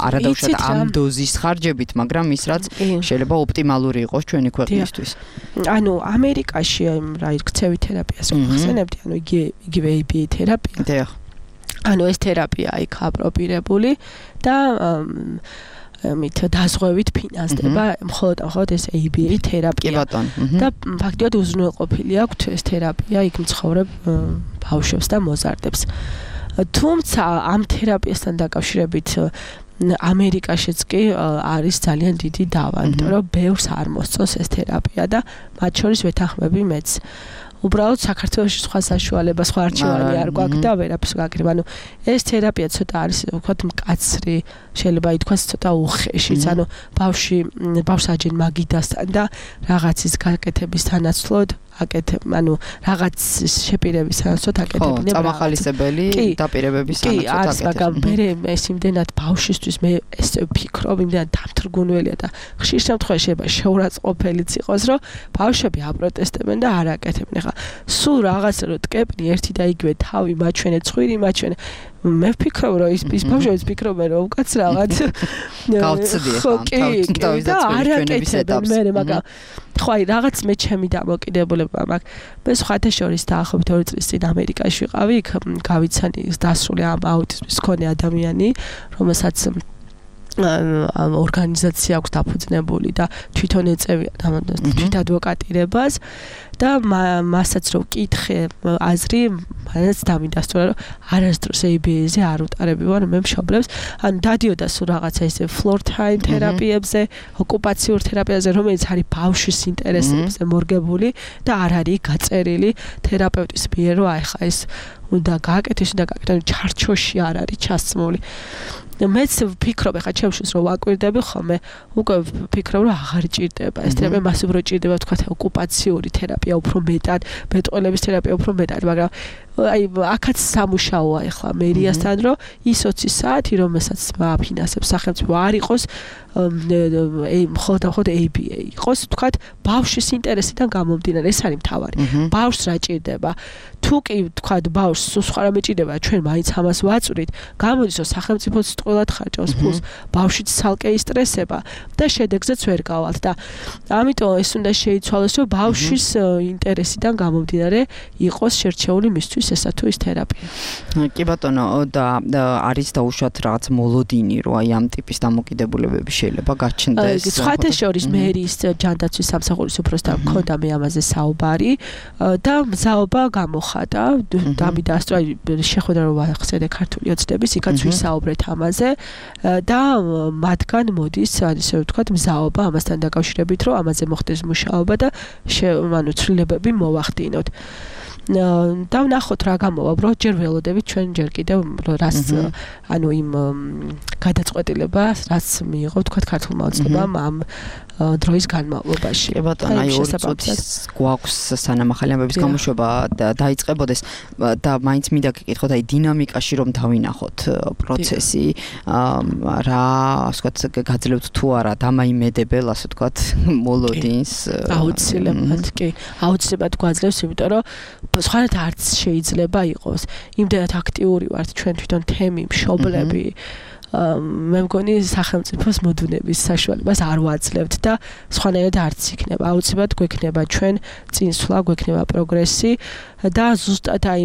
არადაუშვათ ამ დოზის ხარჯებით, მაგრამ ის რაც შეიძლება ოპტიმალური იყოს ჩვენი ქვეყნისთვის. ანუ ამერიკაში რა იქცევი თერაპიას ხსენებდი, ანუ იგივე ABA თერაპია. დიახ. ანუ ეს თერაპია იქ აპროპირებული და მით დაზღვევით ფინანსდება მხოლოდ ეს ABA თერაპია. და ფაქტობრივად უზრუნველყოფილი აქვს ეს თერაპია იქ მცხოვრებ ბავშვებს და მოზარდებს. თუმცა ამ თერაპიასთან დაკავშირებით ამერიკაშიც კი არის ძალიან დიდი დავა, იმიტომ რომ ბევრს არ მოსწონს ეს თერაპია და მათ შორის ვეთანხმები მეც. უბრალოდ საქართველოში სხვა საშუალება, სხვა არჩევანი არ გვაქვს და ვერაფერს გაკრიბ. ანუ ეს თერაპია ცოტა არის, ვთქვათ, მკაცრი, შეიძლება ითქვას ცოტა უხეშიც. ანუ ბავშვს აჯენ მაგიდასთან და რაღაცის გაკეთების თანაცვლოდ ანუ რაღაც შეპირების სანაცვლოდ აკეთებდნენ. წამახალისებელი დაპირებების სანაცვლოდ აკეთებდნენ. კი, არის, მაგრამ მე ეს იმდენად ბავშვისთვის მე ეს ვფიქრობ, იმდენად დამთრგუნველია და ხშირ შემთხვევაში შეიძლება შეურაცხყოფელიც იყოს, რომ ბავშვები აპროტესტებენ და არ აკეთებენ. ხა სულ რაღაცა რომ ტკეპნი ერთი და იგივე თავი მაჩვენე, ცხვირი მაჩვენე. მე ვფიქრობ, რომ ის ბავშვებიც ფიქრობენ, რომ უკაც რაღაც გავცდია თავის დაწვევის ეტაპს. მაგრამ ხო აი რაღაც მე ჩემი დამოკიდებულება მაქვს. მე სხვათაშორის დაახლოებით 2 წლის წინ ამერიკაში ვიყავი, იქ გავიცანი დასრული ამ აუტიზმის მქონე ადამიანი, რომელსაც ამ ორგანიზაცია აქვს დაფუძნებული და თვითონ ეწევია თვით ადვოკატირებას და მასაც რო ვკითხე აზრი, მანაც დამიდასტურა, რომ არასდროს ABA-ზე არ უტარებივარ მე მშობლებს. ანუ დადიოდა სულ რაღაცა ისე floor time თერაპიებზე, ოკუპაციურ თერაპიაზე, რომელიც არის ბავშვის ინტერესებზე მორგებული და არ არის გაწერილი თერაპევტის მიერ, რომ აი ხა ეს უნდა გააკეთოს და გააკეთოს, ჩარჩოში არ არის ჩასმული. მეც ვფიქრობ, ხა ჩემშიც რომ ვაკვირდები ხოლმე, უკვე ვფიქრობ, რომ აღარ ჭირდება ეს თერაპია, მას უფრო ჭირდება თქვა ოკუპაციური თერაპია უფრო მეტად, ბეტყველების თერაპია უფრო მეტად, მაგრამ აი აქაც სამუშაოა ახლა მერიასთან, რომ ის 20 საათი, რომელსაც აფინანსებს სახელმწიფო არ იყოს მხოლოდ ABA იყოს, თქვა ბავშვის ინტერესიდან გამომდინარე, ეს არის მთავარი. ბავშვს რა ჭირდება? თუ კი თქვა ბავშვს სხვა რამე ჭირდება, ჩვენ მაინც ამას ვაწვრით, გამოდის რომ სახელმწიფოც ტყუილად ხარჯავს ფულს, ბავშვიც ცალკე ისტრესება და შედეგზეც ვერ გავალთ და ამიტომ ეს უნდა შეიცვალოს, რომ ბავშვის ინტერესიდან გამომდინარე იყოს შერჩეული მისთვის ესა თუ ის თერაპია. კი ბატონო, და არის დაუშვათ რაღაც მოლოდინი, რომ აი ამ ტიპის დამოკიდებულებები შეიძლება გაჩნდეს. სხვათაშორის მერის ჯანდაცვის სამსახურის უფროსთან მქონდა მე ამაზე საუბარი და მზაობა გამოხატა, დამიდასტურა, შეხვედრა რომ ვახსენე ქართული ოცნების, იქაც ვისაუბრეთ ამაზე და მათგან მოდის, ისე ვთქვათ, მზაობა ამასთან დაკავშირებით, რომ ამაზე მოხდეს მუშაობა და ანუ ცვლილებები მოვახდინოთ. და ვნახოთ რა გამოვა, უბრალოდ ჯერ ველოდებით ჩვენ ჯერ კიდევ რას ანუ იმ გადაწყვეტილებას რაც მიიღო თქვა ქართულმა ოცნებამ ამ დროის განმავლობაში. კი ბატონო, აი 2 წუთის გვაქვს სანამ ახალი ამბების გამოშვება დაიწყებოდეს და მაინც მინდა გეკითხოთ აი დინამიკაში რომ დავინახოთ პროცესი, რა ასე ვთქვათ გაძლევთ თუ არა დამაიმედებელ ასე ვთქვათ მოლოდინს. აუცილებლად, კი. აუცილებლად გვაძლევს, იმიტომ რომ სხვანაირად არც შეიძლება იყოს. იმდენად აქტიური ვართ ჩვენ თვითონ თემი, მშობლები. მე მგონი სახელმწიფოს მოდუნების საშუალებას არ ვაძლევთ და სხვანაირად არც იქნება. აუცილებლად გვექნება ჩვენ წინსვლა, გვექნება პროგრესი და ზუსტად აი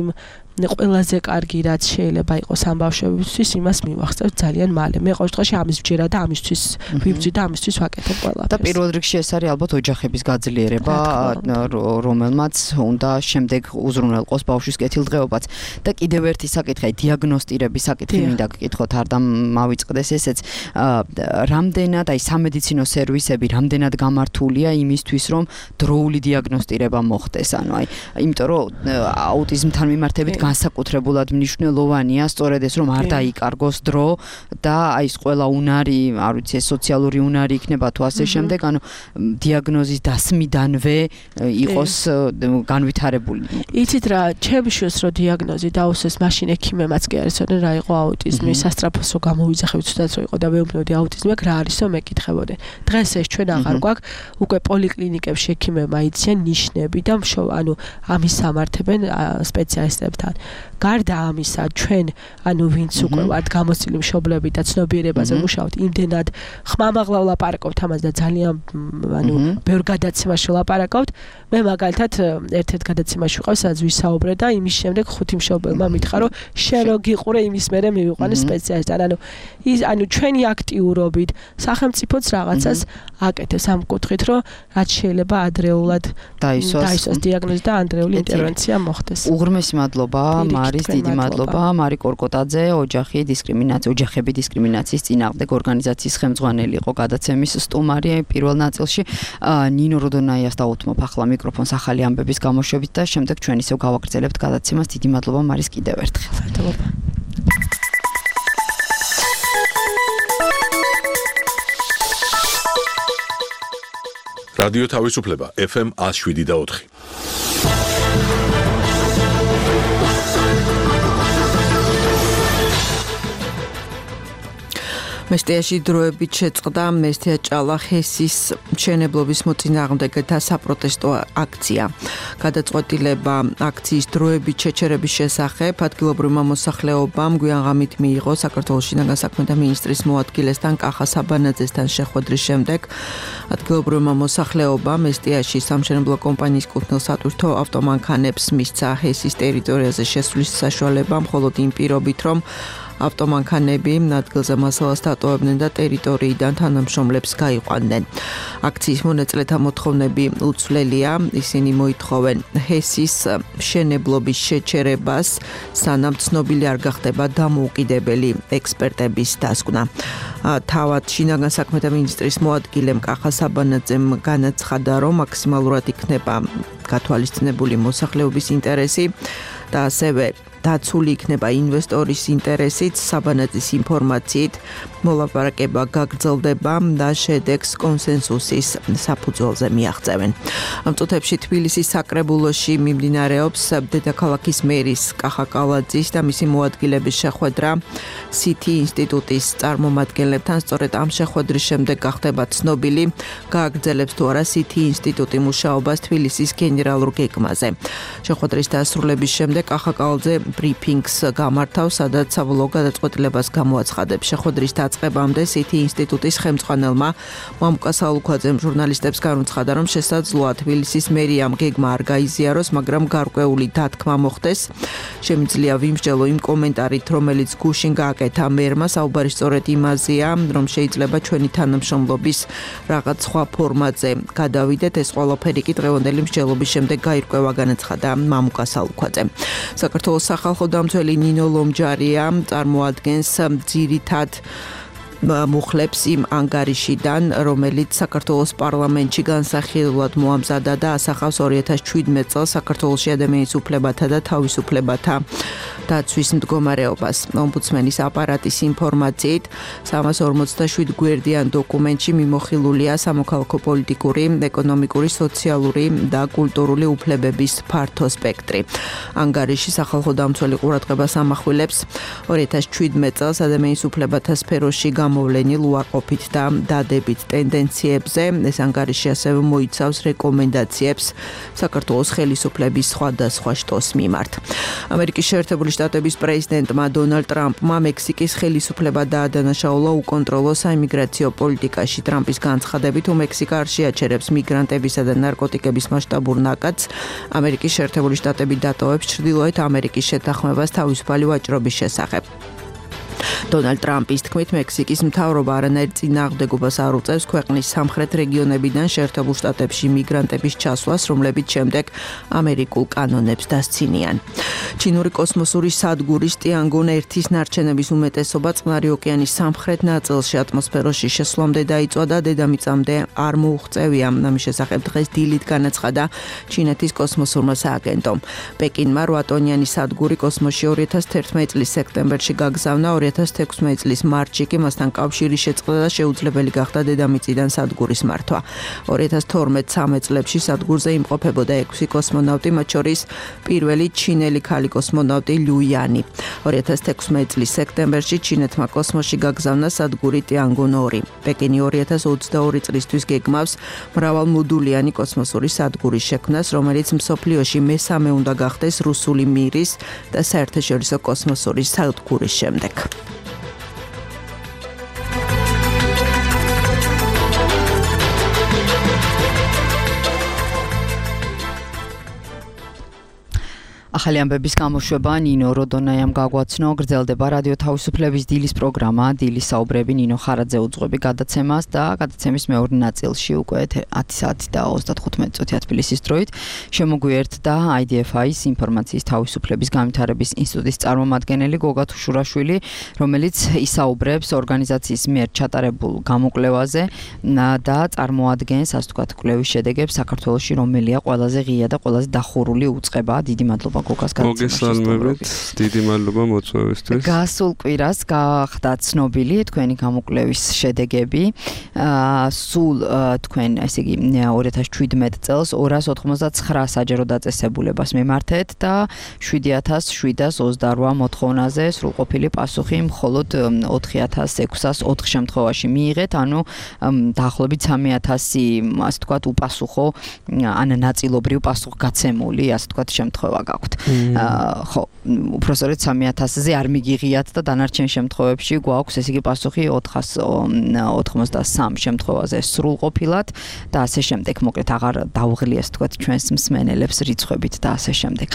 ყველაზე კარგი რაც შეიძლება იყოს ამ ბავშვებისთვის, იმას მივახცევთ ძალიან მალე. მე ყოველ შემთხვევაში ამის ვჯერა და ამისთვის ვიბძვი და ამისთვის ვაკეთებ ყველაფერს. და პირველ რიგში ეს არის ალბათ ოჯახების გაძლიერება, რომელმაც უნდა შემდეგ უზრუნველყოს ბავშვის კეთილდღეობაც. და კიდევ ერთი საკითხი, დიაგნოსტირების საკითხი მინდა გკითხოთ, არ დამავიწყდეს ესეც. რამდენად აი სამედიცინო სერვისები რამდენად გამართულია იმისთვის, რომ დროული დიაგნოსტირება მოხდეს, ანუ აი, იმიტომ რომ აუტიზმთან მიმართებით განსაკუთრებულად მნიშვნელოვანია სწორედ ეს რომ არ დაიკარგოს დრო და აი ეს ყველა უნარი, არ ვიცი, სოციალური უნარი იქნება თუ ასე შემდეგ, ანუ დიაგნოზის დასმიდანვე იყოს განვითარებული. იცით რა, ჩემშოს რო დიაგნოზი დაუსვეს, მაშინ ექიმებმაც კი არის, რა იყო აუტიზმი, სასტრაფოსო გამოვიძახებით თუნდაც რო იყო და მეუბნებოდი აუტიზმი აქვს, რა არისო მეკითხებოდი. დღეს ეს ჩვენ აღარ გვაქვს, უკვე პოლიკლინიკებში ექიმებმა იციან ნიშნები და ანუ ამის სამართებენ სპეციალისტებთან. გარდა ამისა, ჩვენ ანუ ვინც უკვე ვართ გამოცდილი მშობლები და ცნობიერებაზე მუშაობთ, იმდენად ხმამაღლა ვლაპარაკობთ ამას და ძალიან ანუ ბევრ გადაცემაში ვლაპარაკობთ. მე მაგალითად ერთ-ერთ გადაცემაში ვიყავ, სადაც ვისაუბრე და იმის შემდეგ 5 მშობელმა მითხრა, რომ შენ რო გიყურე იმის მერე მივიყვანე სპეციალისტთან. ანუ ჩვენი აქტიურობით სახელმწიფოც რაღაცას აკეთებს ამ კუთხით, რომ რაც შეიძლება ადრეულად დაისვას დიაგნოზი და ადრეული ინტერვენცია მოხდეს. უღრმესი მადლობა, მარის, დიდი მადლობა, მარი კორკოტაძე, ოჯახები დისკრიმინაციის წინააღმდეგ ორგანიზაციის ხელმძღვანელი იყო გადაცემის სტუმარი პირველ ნაწილში. ნინო როდონაიას დაუთმობ ახლა მიკროფონს ახალი ამბების გამოშვებით და შემდეგ ჩვენ ისევ გავაგრძელებთ გადაცემას. დიდი მადლობა მარის კიდევ ერთხელ. მადლობა. რადიო თავისუფლება FM 107.4. მესტიაში დროებით შეწყდა მესტია ჭალახესის მშენებლობის მოწინააღმდეგეთა საპროტესტო აქცია. გადაწყვეტილება აქციის დროებით შეჩერების შესახებ ადგილობრივმა მოსახლეობამ გვიანღამით მიიღო საქართველოს შინაგან საქმეთა მინისტრის მოადგილესთან კახა საბანაძესთან შეხვედრის შემდეგ. ადგილობრივმა მოსახლეობამ მესტიაში სამშენებლო კომპანიის კუთვნილ სატვირთო ავტომანქანებს მისცა ჰესის ტერიტორიაზე შესვლის საშუალება, მხოლოდ იმ პირობით, რომ ავტომანქანები ადგილზე მასალას დატოვებდნენ და ტერიტორიიდან თანამშრომლებს გაიყვანდნენ. აქციის მონაწილეთა მოთხოვნები უცვლელია, ისინი მოითხოვენ ჰესის მშენებლობის შეჩერებას, სანამ ცნობილი არ გახდება დამოუკიდებელი ექსპერტების დასკვნა. თავად შინაგან საქმეთა მინისტრის მოადგილემ კახა საბანაძემ განაცხადა, რომ მაქსიმალურად იქნება გათვალისწინებული მოსახლეობის ინტერესი და ასევე დაცული იქნება ინვესტორის ინტერესით, საბანაძის ინფორმაციით მოლაპარაკება გაგრძელდება და შედეგს კონსენსუსის საფუძველზე მიაღწევენ. ამ წუთებში თბილისის საკრებულოში მიმდინარეობს დედაქალაქის მერის კახა კალაძის და მისი მოადგილების შეხვედრა CT ინსტიტუტის წარმომადგენლებთან. სწორედ ამ შეხვედრის შემდეგ გახდება ცნობილი, გააგრძელებს თუ არა CT ინსტიტუტი მუშაობას თბილისის გენერალურ გეგმაზე. შეხვედრის დასრულების შემდეგ კახა კალაძე ბრიფინგს გამართავს, სადაც საბოლოო გადაწყვეტილებას გამოაცხადებს. შეხვედრის დაწყებამდე CT ინსტიტუტის ხელმძღვანელმა მამუკა სალუქვაძემ ჟურნალისტებს განუცხადა, რომ შესაძლოა თბილისის მერიამ გეგმა არ გაიზიაროს, მაგრამ გარკვეული დათქმა მოხდეს. შემიძლია ვიმსჯელო იმ კომენტარით, რომელიც გუშინ გააკეთა მერმა, საუბარი სწორედ იმაზეა, რომ შეიძლება ჩვენი თანამშრომლობის რაღაც სხვა ფორმატზე გადავიდეთ. ეს ყველაფერი კი დღევანდელი მსჯელობის შემდეგ გაირკვევა, განაცხადა მამუკა სალუქვაძემ. საქართველოს სახალხო დამცველი ნინო ლომჯარია წარმოადგენს ძირითად მუხლებს იმ ანგარიშიდან, რომელიც საქართველოს პარლამენტში განსახილულად მოამზადა და ასახავს 2017 წელს საქართველოში ადამიანის უფლებათა და თავისუფლებათა დაცვის მდგომარეობას. ომბუდსმენის აპარატის ინფორმაციით 347 გვერდიან დოკუმენტში მიმოხილულია სამოქალაქო პოლიტიკური, ეკონომიკური, სოციალური და კულტურული უფლებების ფართო სპექტრი. ანგარიში სახალხო დამცველი ყურადღებას ამახვილებს 2017 წელს ადამიანის უფლებათა სფეროში გამოვლენილ უარყოფით და დადებით ტენდენციებზე. ეს ანგარიში ასევე მოიცავს რეკომენდაციებს საქართველოს ხელისუფლების სხვადასხვა შტოს მიმართ. ამერიკის შეერთებული შტატების პრეზიდენტმა დონალდ ტრამპმა მექსიკის ხელისუფლება დაადანაშაულა უკონტროლო საიმიგრაციო პოლიტიკაში. ტრამპის განცხადებით, მექსიკა არ შეაჩერებს მიგრანტებისა და ნარკოტიკების მასშტაბურ ნაკადს. ამერიკის შეერთებული შტატები დატოვებს ჩრდილოეთ ამერიკის შეთანხმებას თავისუფალი ვაჭრობის შესახებ. დონალდ ტრამპის თქმით, მექსიკის მთავრობა არანაირ წინააღმდეგობას არ უწევს ქვეყნის სამხრეთ რეგიონებიდან შეერთებულ შტატებში მიგრანტების ჩასვლას, რომლებიც შემდეგ ამერიკულ კანონებს დასცინიან. ჩინური კოსმოსური სადგურის ტიანგონ 1-ის ნარჩენების უმეტესობა წყნარი ოკეანის სამხრეთ ნაწილში ატმოსფეროში შესვლამდე დაიწვა და დედამიწამდე არ მოუღწევია. ამის შესახებ დღეს დილით განაცხადა ჩინეთის კოსმოსურმა სააგენტომ. პეკინმა 8 ტონიანი სადგური კოსმოსში 2011 წლის სექტემბერში გაგზავნა, 2016 წლის მარტში კი მასთან კავშირი შეწყდა და შეუძლებელი გახდა დედამიწიდან სადგურის მართვა. 2012-13 წლებში სადგურზე იმყოფებოდა 6 კოსმონავტი, მათ შორის პირველი ჩინელი ქალი კოსმონავტი ლუ იანი. 2016 წლის სექტემბერში ჩინეთმა კოსმოსში გაგზავნა სადგური ტიანგონ 2. პეკინი 2022 წლისთვის გეგმავს მრავალმოდულიანი კოსმოსური სადგურის შექმნას, რომელიც მსოფლიოში მესამე უნდა გახდეს რუსული მირის და საერთაშორისო კოსმოსური სადგურის შემდეგ. ახალი ამბების გამოშვება ნინო როდონაიამ გაგვაცნო, გრძელდება რადიო თავისუფლების დილის პროგრამა, დილის საუბრები ნინო ხარაძე უძღვები გადაცემას და გადაცემის მეორე ნაწილში უკვე 10 საათი და 35 წუთია თბილისის დროით შემოგვიერთდა IDFI-ის ინფორმაციის თავისუფლების განვითარების ინსტიტუტის წარმომადგენელი გოგა თუშურაშვილი, რომელიც ისაუბრებს ორგანიზაციის მიერ ჩატარებულ გამოკვლევაზე და წარმოადგენს, ასე ვთქვათ, კვლევის შედეგებს საქართველოში, რომელია ყველაზე ღია და ყველაზე დახურული უწყება. დიდი მადლობა მოგესალმებით, დიდი მადლობა მოწვევისთვის. გასულ კვირას გახდა ცნობილი თქვენი გამოკვლევის შედეგები. სულ თქვენ, ესე იგი, 2017 წელს 289 საჯარო დაწესებულებას მიმართეთ და 7728 მოთხოვნაზე სრულყოფილი პასუხი მხოლოდ 4604 შემთხვევაში მიიღეთ, ანუ დაახლოებით 3000, ასე ვთქვათ, უპასუხო ან ნაწილობრივ პასუხგაცემული, ასე ვთქვათ, შემთხვევა გაქვთ. ხო, უბრალოდ 3000-ზე არ მიგიღიათ და დანარჩენ შემთხვევებში გვაქვს, ესე იგი, პასუხი 493 შემთხვევაზე სრულყოფილად და ასე შემდეგ. მოკლედ აღარ დავღლი, ასე ვთქვათ, ჩვენს მსმენელებს რიცხვებით და ასე შემდეგ.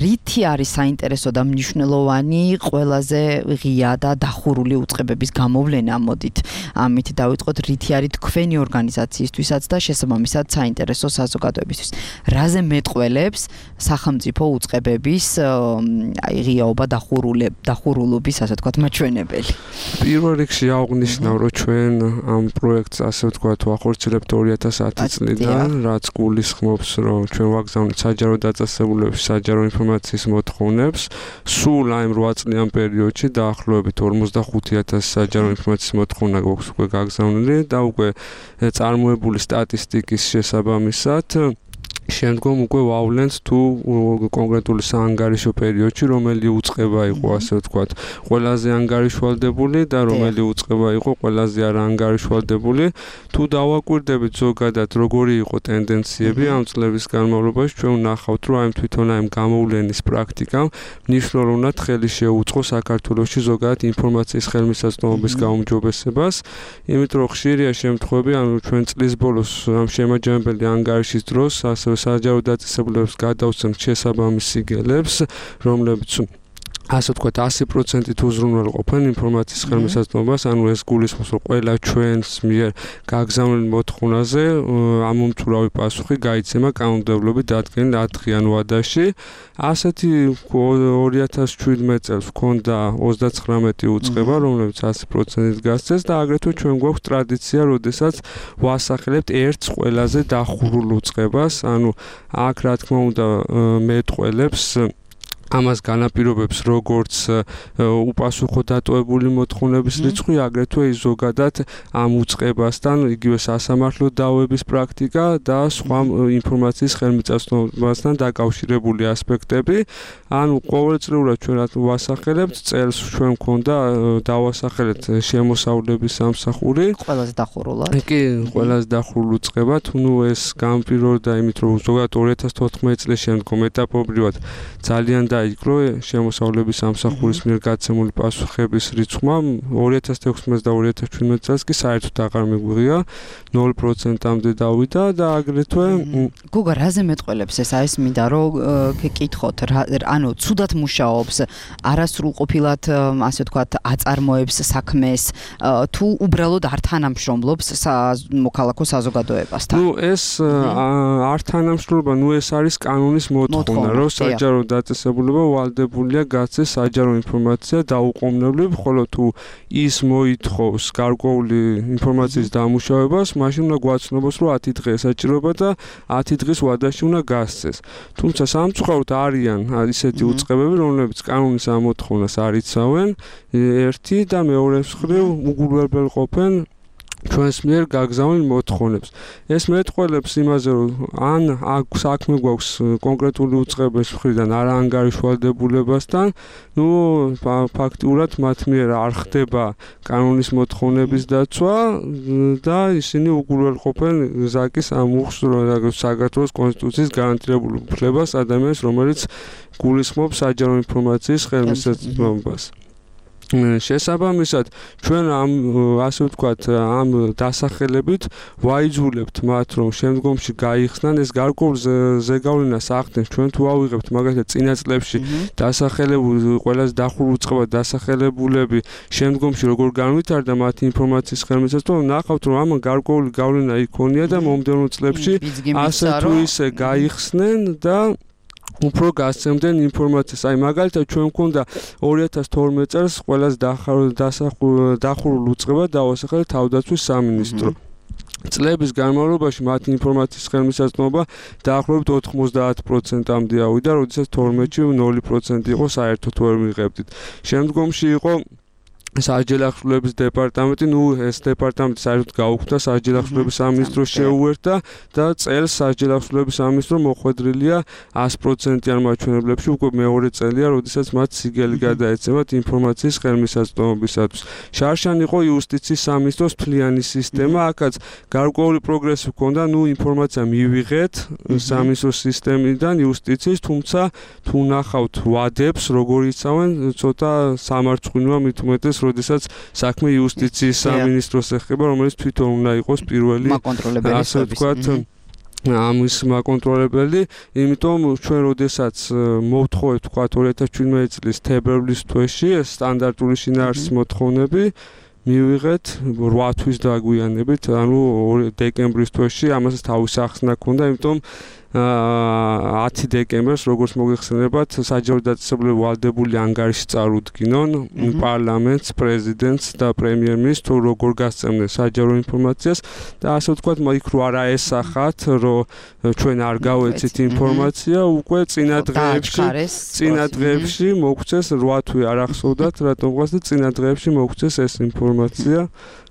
რითი არის საინტერესო და მნიშვნელოვანი ყველაზე ღია და დახურული უწყებების გამოვლენა? მოდით ამით დავიწყოთ, რითი არის თქვენი ორგანიზაციისთვისაც და შესაბამისად საინტერესო საზოგადოებისთვის. რაზე მეტყველებს სახელმწიფო უწყებების ღიაობა დახურულობის, ასე ვთქვათ, მაჩვენებელი. პირველ რიგში აღნიშნავ, რომ ჩვენ ამ პროექტს, ასე ვთქვათ, ვახორციელებთ 2010 წლიდან, რაც გულისხმობს, რომ ჩვენ ვაგზავნეთ საჯარო დაწესებულების საჯარო ინფორმაციის მოთხოვნებს. სულ აი 8 წლიან პერიოდში დაახლოებით 45000 საჯარო ინფორმაციის მოთხოვნა გვაქვს უკვე გაგზავნილი და უკვე წარმოებული სტატისტიკის შესაბამისად შემდგომ უკვე ვავლენთ თუ კონკრეტული საანგარიშო პერიოდში რომელი უწყება იყო, ასე ვთქვათ, ყველაზე ანგარიშვალდებული და რომელი უწყება იყო ყველაზე არაანგარიშვალდებული. თუ დავაკვირდებით ზოგადად როგორი იყო ტენდენციები ამ წლების განმავლობაში, ჩვენ ვნახავთ, რომ აი თვითონ აი გამოვლენის პრაქტიკამ მნიშვნელოვნად ხელი შეუწყო საქართველოში ზოგადად ინფორმაციის ხელმისაწვდომობის გაუმჯობესებას, იმიტომ რომ ხშირია შემთხვევები, ანუ ჩვენ წლის ბოლოს ამ შემაჯამებელი ანგარიშის დროს ასე საჯარო დაწესებულებას გადავცემთ შესაბამის სიგელებს, რომლებიც ასე ვთქვათ 100%-ით უზრუნველყოფენ ინფორმაციის ხელმისაწვდომობას, ანუ ეს გულისხმობს, რომ ყველა ჩვენს მიერ გაგზავნილ მოთხოვნაზე ამომწურავი პასუხი გაიცემა კანონმდებლობით დადგენილ 10 დღიან ვადაში. ასეთი 2017 წელს ჰქონდა 39 უწყება, რომლებიც 100%-ით გასცეს და აგრეთვე ჩვენ გვაქვს ტრადიცია, როდესაც ვასახელებთ ერთს ყველაზე დახურულ უწყებას, ანუ აქ რა თქმა უნდა მეტყველებს ამას განაპირობებს როგორც უპასუხო დატოვებული მოთხოვნების რიცხვი, აგრეთვე ის ზოგადად ამ უწყებასთან იგივე სასამართლო დავების პრაქტიკა და სხვა ინფორმაციის ხელმისაწვდომასთან დაკავშირებული ასპექტები. ანუ ყოველწლიურად ჩვენ რა ვასახელებთ, წელს ჩვენ მქონდა დავასახელეთ შემოსავლების სამსახური. ყველაზე დახურულად. კი, ყველაზე დახურულ უწყებად, ნუ ეს განპირობდა იმით, რომ ზოგადად 2014 წლის შემდგომ ეტაპობრივად ძალიან დაიკლო შემოსავლების სამსახურის მიერ გაცემული პასუხების რიცხვმა 2016 და 2017 წელს კი საერთოდ აღარ მიგვიღია 0%-ამდე დავიდა და აგრეთვე გუგა რაზე მეტყველებს ეს არის მინდა რომ გეკითხოთ ანუ ცუდად მუშაობს არასრულყოფილად ასე ვთქვათ აწარმოებს საქმეს თუ უბრალოდ არ თანამშრომლობს მოქალაქო საზოგადოებასთან ნუ ეს არ თანამშრომლობა ნუ ეს არის კანონის მოთხოვნა რომ საჯარო დაწესებულება ვალდებულია გაცეს საჯარო ინფორმაცია დაუყოვნებლივ ხოლო თუ ის მოითხოვს გარკვეული ინფორმაციის დამუშავებას მაშინ უნდა გვაცნობს რომ 10 დღე ესაჭიროება და 10 დღის ვადაში უნდა გასცეს თუმცა სამწუხაროდ არიან ისეთი უწყებები რომლებიც კანონის ამოთხოვნას არ იცავენ ერთი და მეორე მხრივ უგულებელყოფენ ჩვენს მიერ გაგზავნილ მოთხოვნებს. ეს მეტყველებს იმაზე, რომ ან საქმე გვაქვს კონკრეტული უწყების მხრიდან არაანგარიშვალდებულებასთან, ნუ ფაქტიურად მათ მიერ არ ხდება კანონის მოთხოვნების დაცვა და ისინი უგულებელყოფენ ზაკის ამუხს საქართველოს კონსტიტუციის გარანტირებულ უფლებას ადამიანს, რომელიც გულისხმობს საჯარო ინფორმაციის ხელმისაწვდომობას. შესაბამისად ჩვენ ამ ასე ვთქვათ ამ დასახელებით ვაიძულებთ მათ რომ შემდგომში გაიხსნან ეს გარკვეულ ზეგავლენას ახდენს ჩვენ თუ ავიღებთ მაგალითად წინა წლებში დასახელებული ყველაზე დახურულ უწყებად დასახელებულები შემდგომში როგორ განვითარდა მათი ინფორმაციის ხელმისაწვდომა ნახავთ რომ ამ გარკვეული გავლენა იქონია და მომდევნო წლებში ასე თუ ისე გაიხსნენ და უფრო გასცემდნენ ინფორმაციას. აი მაგალითად ჩვენ გვქონდა 2012 წელს ყველაზე დახურულ უწყებად დავასახელეთ თავდაცვის სამინისტრო. წლების განმავლობაში მათი ინფორმაციის ხელმისაწვდომობა დაახლოებით 90%-ამდე ავიდა, როდესაც 12-ში 0% იყო საერთოდ ვერ მიღებდით. შემდგომში იყო საჯელახშულების დეპარტამენტი, ნუ ეს დეპარტამენტი საერთოდ გაუქმდა, საჯელახშულების სამინისტრო შეუერთდა და წელს საჯელახშულების სამინისტრო მოხვედრილია 100%-იან მაჩვენებლებში, უკვე მეორე წელია, როდესაც მათ სიგელი გადაეცემათ ინფორმაციის ხელმისაწვდომობისათვის. შარშან იყო იუსტიციის სამინისტროს თვლიანი სისტემა, აქაც გარკვეული პროგრესი ჰქონდა, ნუ ინფორმაცია მივიღეთ სამინისტროს სისტემიდან იუსტიციის, თუმცა თუ ნახავთ ვადებს, როგორ იცავენ, ცოტა სამარცხვინოა მით უმეტეს როდესაც საქმე იუსტიციის სამინისტროს ეხება, რომელიც თვითონ უნდა იყოს პირველი ასე ვთქვათ ამის მაკონტროლებელი, იმიტომ ჩვენ როდესაც მოვთხოვეთ ვთქვათ 2017 წლის თებერვლის თვეში ეს სტანდარტული შინაარსის მოთხოვნები მივიღეთ 8 თვის დაგვიანებით, ანუ დეკემბრის თვეში ამასაც თავისი ახსნა ჰქონდა, იმიტომ 10 დეკემბერს როგორც მოგეხსენებათ საჯარო დაწესებულება ვალდებული ანგარიში წარუდგინონ პარლამენტს, პრეზიდენტს და პრემიერ-მინისტრს თუ როგორ გასცემდნენ საჯარო ინფორმაციას და ასე ვთქვათ იქ რო არა ესახათ რომ ჩვენ არ გავეცით ინფორმაცია უკვე წინა დღეებში მოგწეს 8 თვე არ ახსოვდათ რატომღაც და წინა დღეებში მოგწეს ეს ინფორმაცია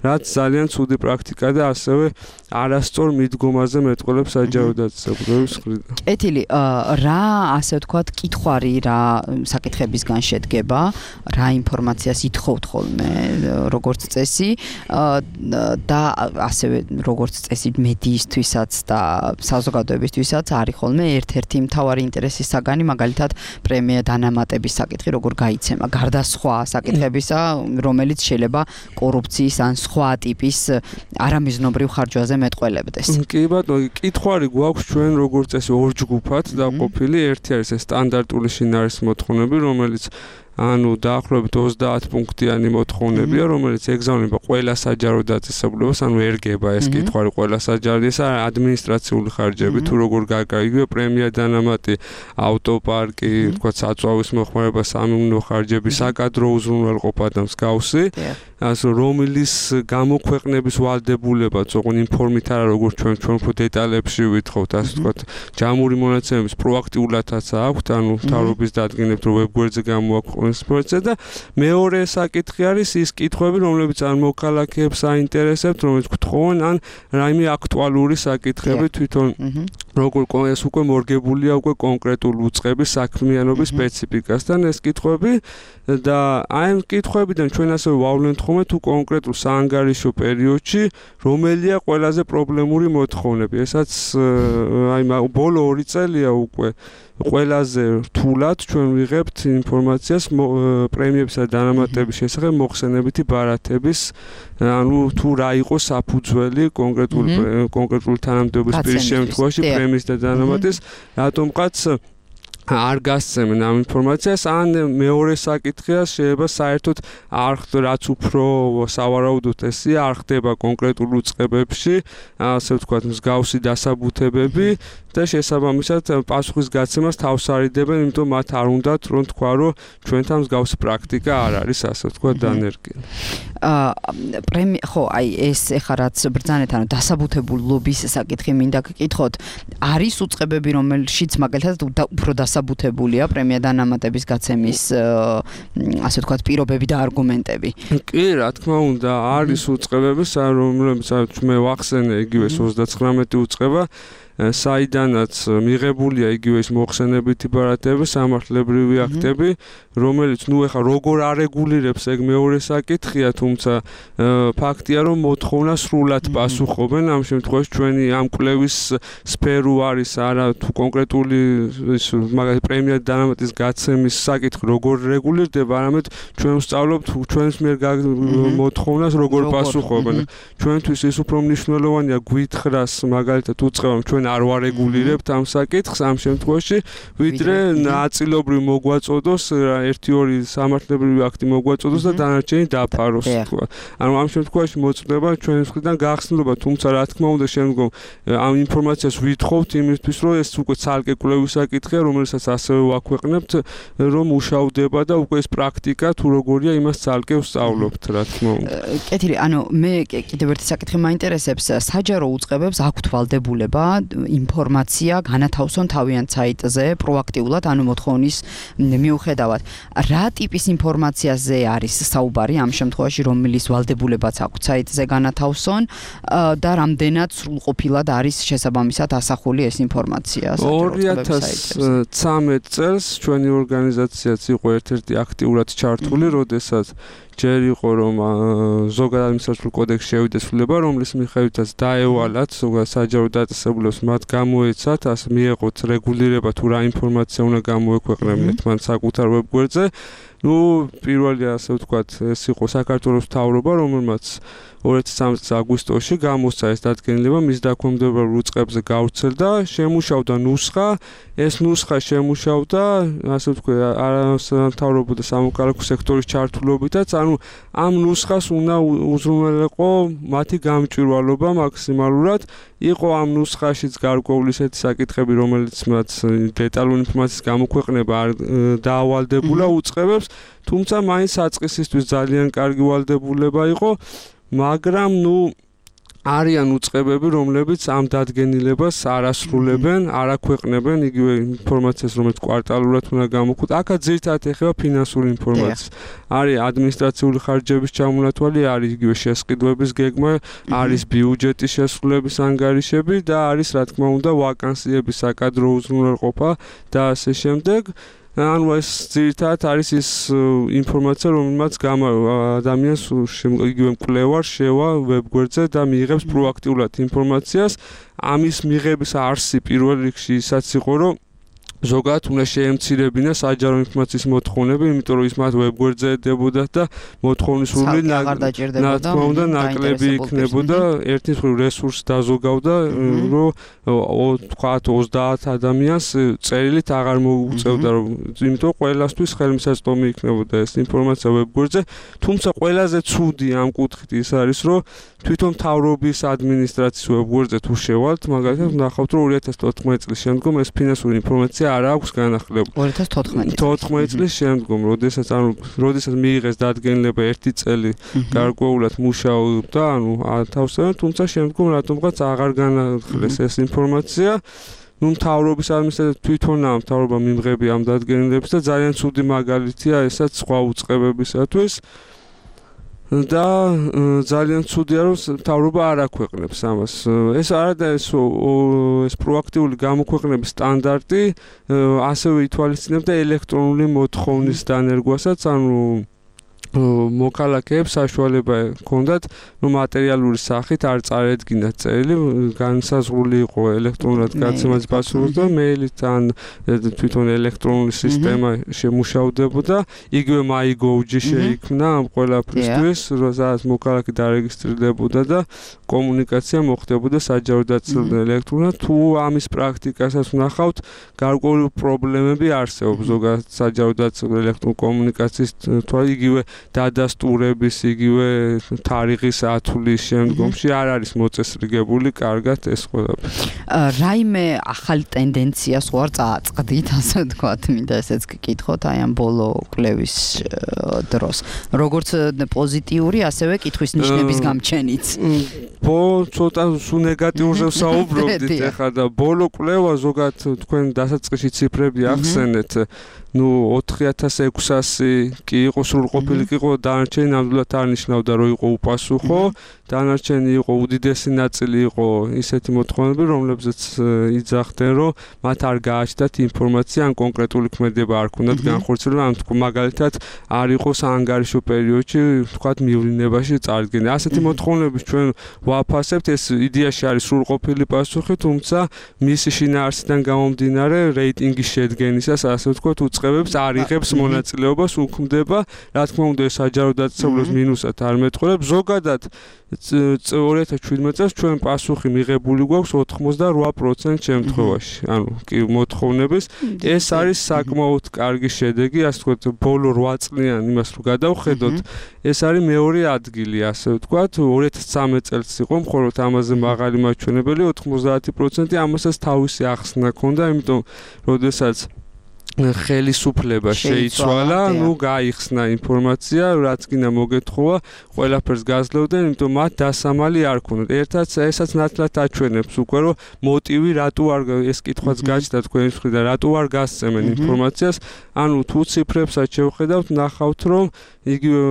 რაც ძალიან ცუდი პრაქტიკა და ასევე არასწორ მიდგომაზე მეტყველებს საჯარო დაწესებულების მხრიდან. ეთილი რა ასე ვთქვათ კითხვარი რა საკითხებისგან შედგება, რა ინფორმაციას ითხოვთ ხოლმე როგორც წესი და ასევე როგორც წესი მედიისთვისაც და საზოგადოებისთვისაც არის ხოლმე ერთ-ერთი მთავარი ინტერესის საგანი, მაგალითად პრემია დანამატების საკითხი როგორ გაიცემა, გარდა სხვა საკითხებისა, რომელიც შეიძლება კორუფციის ან სხვა ტიპის არამიზნობრივ ხარჯვაზე მეტყველებდეს. კი ბატონო, კითხვარი გვაქვს ჩვენ როგორც წესი ორ ჯგუფად დაყოფილი, ერთი არის ეს სტანდარტული შინაარსის მოთხოვნები, რომელიც ანუ დაახლოებით 30 პუნქტიანი მოთხოვნებია, რომელიც ეგზავნება ყველა საჯარო დაწესებულებას, ანუ ერგება ეს კითხვარი ყველა საჯარო, ეს ადმინისტრაციული ხარჯები, თუ როგორ გაკარგია პრემია დანამატი, ავტოპარკი, თქვა საწვავის მოხმარება, სამეურნეო ხარჯები, საკადრო უზრუნველყოფა და მსგავსი. ასე რომლის გამოქვეყნების ვალდებულებაც ოღონ ინფორმით არა როგორც ჩვენ უფრო დეტალებში ვითხოვთ, ასე ვთქვათ, ჯამური მონაცემების პროაქტიულადაც აქვთ, ანუ მთავრობის დადგენებთ რომ ვებგვერდზე გამოაქვეყნეს ინფორმაცია და მეორე საკითხი არის ის კითხვები, რომლებიც ან მოქალაქეებს აინტერესებთ, რომელიც გთხოვენ ან რაიმე აქტუალური საკითხები თვითონ როგორ ეს უკვე მორგებულია უკვე კონკრეტულ უწყების საქმიანობის სპეციფიკასთან ეს კითხვები და აი ამ კითხვებიდან ჩვენ ასევე ვავლენთ ხოლმე თუ კონკრეტულ საანგარიშო პერიოდში რომელია ყველაზე პრობლემური მოთხოვნები ესაც აი ბოლო 2 წელია უკვე ყველაზე რთულად ჩვენ ვიღებთ ინფორმაციას პრემიებსა და დანამატების შესახებ მოხსენებითი ბარათების ანუ თუ რა იყო საფუძველი კონკრეტული თანამდებობის პირის შემთხვევაში პრემიის და დანამატის რატომღაც არ გასცემენ ამ ინფორმაციას ან მეორე საკითხია შეიძლება საერთოდ რაც უფრო სავარაუდოდ ესია არ ხდება კონკრეტულ უწყებებში ასე ვთქვათ მსგავსი დასაბუთებები და შესაბამისად პასუხის გაცემას თავს არიდებენ იმიტომ მათ არ უნდათ რომ თქვა რომ ჩვენთან მსგავსი პრაქტიკა არ არის ასე ვთქვათ დანერგილი ხო აი ეს ეხლა რაც ბრძანეთ ანუ დასაბუთებულობის საკითხი მინდა გკითხოთ არის უწყებები რომელშიც მაგალითად უფრო დასაბუთებულია პრემია დანამატების გაცემის ასე ვთქვათ პირობები და არგუმენტები კი რა თქმა უნდა არის უწყებები რომლებიც მე ვახსენე იგივე 39 უწყება საიდანაც მიღებულია იგივე ის მოხსენებითი ბარათები სამართლებრივი აქტები რომელიც ნუ ეხა როგორ არეგულირებს ეგ მეორე საკითხია თუმცა ფაქტია რომ მოთხოვნა სრულად პასუხობენ ამ შემთხვევაში ჩვენი ამ კვლევის სფერო არის არა თუ კონკრეტული ის მაგალითად პრემია დანამატის გაცემის საკითხი როგორ რეგულირდება არამედ ჩვენ ვსწავლობთ ჩვენს მიერ მოთხოვნას როგორ პასუხობენ ჩვენთვის ის უფრო მნიშვნელოვანია გვითხრას მაგალითად უწყებამ ჩვენ არ ვარეგულირებთ ამ საკითხს ამ შემთხვევაში ვიდრე ნაწილობრივ მოგვაწოდოს 1-2 სამართლებრივი აქტი მოგვაწოდოს და დანარჩენი დაფაროს თქვა. ანუ ამ შემთხვევაში მოწდება ჩვენს მხრიდან გახსნილობა, თუმცა რა თქმა უნდა შემდგომ ამ ინფორმაციას ვითხოვთ იმისთვის, რომ ეს უკვე ცალკე კვლევის საკითხია, რომელსაც ასევე ვაქვეყნებთ, რომ მუშავდება და უკვე ეს პრაქტიკა თუ როგორია იმას ცალკე ვსწავლობთ, რა თქმა უნდა. კეთილი, ანუ მე კიდევ ერთი საკითხი მაინტერესებს, საჯარო უწყებებს აქვთ ვალდებულება ინფორმაცია განათავსონ თავიანთ საიტზე პროაქტიულად, ანუ მოთხოვნის მიუხედავად. რა ტიპის ინფორმაციაზე არის საუბარი ამ შემთხვევაში, რომლის ვალდებულებაც აქვთ საიტზე განათავსონ და რამდენად სრულყოფილად არის შესაბამისად ასახული ეს ინფორმაცია 2013 წელს ჩვენი ორგანიზაციაც იყო ერთ-ერთი აქტიურად ჩართული, როდესაც ჯერ იყო რომ ზოგადად ადმინისტრაციულ კოდექსში შევიდა ცვლილება, რომლის მიხედვითაც დაევალათ ზოგადად საჯარო დაწესებულებას მათ გამოეცათ, ასე მიეღოთ რეგულირება თუ რა ინფორმაცია უნდა გამოექვეყნებინათ მან საკუთარ ვებგვერდზე. ნუ პირველი ასე ვთქვათ, ეს იყო საქართველოს მთავრობა, რომელმაც 2013 წლის აგვისტოში გამოსცა ეს დადგენილება მის დაქვემდებარებულ უწყებზე გავრცელდა, შემუშავდა ნუსხა, ეს ნუსხა შემუშავდა, ასე ვთქვათ, მთავრობა და სამოქალაქო სექტორის ჩართულობითაც, ანუ ამ ნუსხას უნდა უზრუნველყო მათი გამჭვირვალობა მაქსიმალურად, იყო ამ ნუსხაშიც გარკვეული ისეთი საკითხები, რომელიც მათ დეტალურ ინფორმაციის გამოქვეყნება არ დაავალდებულა უწყებებს, თუმცა მაინც საწყისისთვის ძალიან კარგი ვალდებულება იყო, მაგრამ ნუ არიან უწყებები, რომლებიც ამ დადგენილებას არ ასრულებენ, არ აქვეყნებენ იგივე ინფორმაციას, რომელიც კვარტალურად უნდა გამოქვთ. აქაც ძირითადად ეხება ფინანსური ინფორმაცია. არის ადმინისტრაციული ხარჯების ჩამონათვალი, არის იგივე შესყიდვების გეგმა, არის ბიუჯეტის შესრულების ანგარიშები და არის რა თქმა უნდა ვაკანსიების საკადრო უზრუნველყოფა და ასე შემდეგ. ანუ ეს ძირითადად არის ის ინფორმაცია, რომელმაც ადამიანს იგივე მკვლევარ შევა ვებგვერდზე და მიიღებს პროაქტიულად ინფორმაციას. ამის მიღების არსი პირველ რიგში ისაც იყო, რომ ზოგადად უნდა შეემცირებინა საჯარო ინფორმაციის მოთხოვნები, იმიტომ რომ ის მათ ვებგვერდზე ედებოდათ და მოთხოვნის სრული ნაკლები იქნებოდა, ერთი მხრივ რესურსს დაზოგავდა, რომ თქვათ 30 ადამიანს წერილით აღარ მოუწევდა, იმიტომ ყველასთვის ხელმისაწვდომი იქნებოდა ეს ინფორმაცია ვებგვერდზე, თუმცა ყველაზე ცუდი ამ კუთხით ის არის, რომ თვითონ მთავრობის ადმინისტრაციის ვებგვერდზე თუ შევალთ, მაგალითად ნახავთ, რომ 2014 წლის შემდგომ ეს ფინანსური ინფორმაცია არ აქვს განახლებული. 2014 წლის შემდგომ, როდესაც მიიღეს დადგენილება 1 წელი გარკვეულად მუშაობდა, ანუ ათავსებენ, თუმცა შემდგომ რატომღაც აღარ განახლეს ეს ინფორმაცია. ნუ მთავრობის ადმინისტრაცია თვითონაა მთავრობა მიმღები ამ დადგენილებას და ძალიან ცუდი მაგალითია ესაც სხვა უწყებებისათვის. და ძალიან ცუდია რომ მთავრობა არ აქვეყნებს ამას. ეს არა ეს პროაქტიული გამოქვეყნების სტანდარტი ასევე ითვალისწინებდა ელექტრონული მოთხოვნის დანერგვასაც, ანუ მოქალაქეებს საშუალება ჰქონდათ მატერიალური სახით არ წარედგინათ წერილი, განსაზღვრული იყო ელექტრონულად გაცემას პასუხი და მეილით ან თვითონ ელექტრონული სისტემა შემუშავდებოდა. იგივე MyGov-ში შეიქმნა ამ ყველაფრისთვის, სადაც მოქალაქე დარეგისტრირდებოდა და კომუნიკაცია მოხდებოდა საჯარო დაწესებულთან ელექტრონულად. თუ ამის პრაქტიკასაც ვნახავთ, გარკვეული პრობლემები არსებობს ზოგადად საჯარო დაწესებულ ელექტრონულ კომუნიკაციის თვალ იგივე დადასტურების იგივე თარიღის ათვლის შემდგომში არ არის მოწესრიგებული კარგად ეს ყველაფერი. რაიმე ახალი ტენდენციას ვარ წააწყდით, ასე ვთქვათ, მინდა ესეც გკითხოთ აი ამ ბოლო კვლევის დროს. როგორც პოზიტიური, ასევე კითხვის ნიშნების გამჩენიც. ცოტა სულ ნეგატიურზე ვსაუბრობდით ახლა და ბოლო კვლევა ზოგადად თქვენ დასაწყისში ციფრები ახსენეთ. 4600 კი იყო სრულყოფილი კი იყო დანარჩენი ნამდვილად არ ნიშნავდა რომ იყო უპასუხო დანარჩენი იყო უდიდესი ნაწილი იყო ისეთი მოთხოვნები რომლებზეც იძახდნენ რომ მათ არ გააჩნდათ ინფორმაცია ან კონკრეტული ქმედება არ ქონდათ განხორციელებული ან მაგალითად არ იყო საანგარიშო პერიოდში თქვათ მივლინებაში წარდგენა ასეთი მოთხოვნების ჩვენ ვაფასებთ ეს იდეაში არის სრულყოფილი პასუხი თუმცა მისი შინაარსიდან გამომდინარე რეიტინგის შედგენისას ასე ვთქვათ უწყებებს არ იღებს მონაწილეობას უქმდება რა თქმა უნდა საჯარო დაწესებულებას მინუსად არ მეტყველებს ზოგადად 2017 წელს ჩვენ პასუხი მიღებული გვაქვს 88% შემთხვევაში ანუ კი მოთხოვნების ეს არის საკმაოდ კარგი შედეგი ასე ვთქვათ ბოლო 8 წლიან იმას რო გადავხედოთ ეს არის მეორე ადგილი ასე ვთქვათ 2013 წელს იყო მხოლოდ ამაზე მაღალი მაჩვენებელი 90% ამასაც თავისი ახსნა ჰქონდა იმიტომ როდესაც ხელისუფლება შეიცვალა, ნუ გაიხსნა ინფორმაცია, რაც კიდე მოგეთხოვა, ყველაფერს გაძლევდნენ, იმიტომ მათ დასამალი არ ქონდათ. ერთად ესაც ნათლად აჩვენებს უკვე რომ მოტივი რატო არ ეს კითხვაც გაჩნდა თქვენს მხრიდან, რატო არ გასცემენ ინფორმაციას, ანუ თუ ციფრებსაც შევხედავთ, ნახავთ რომ იგივე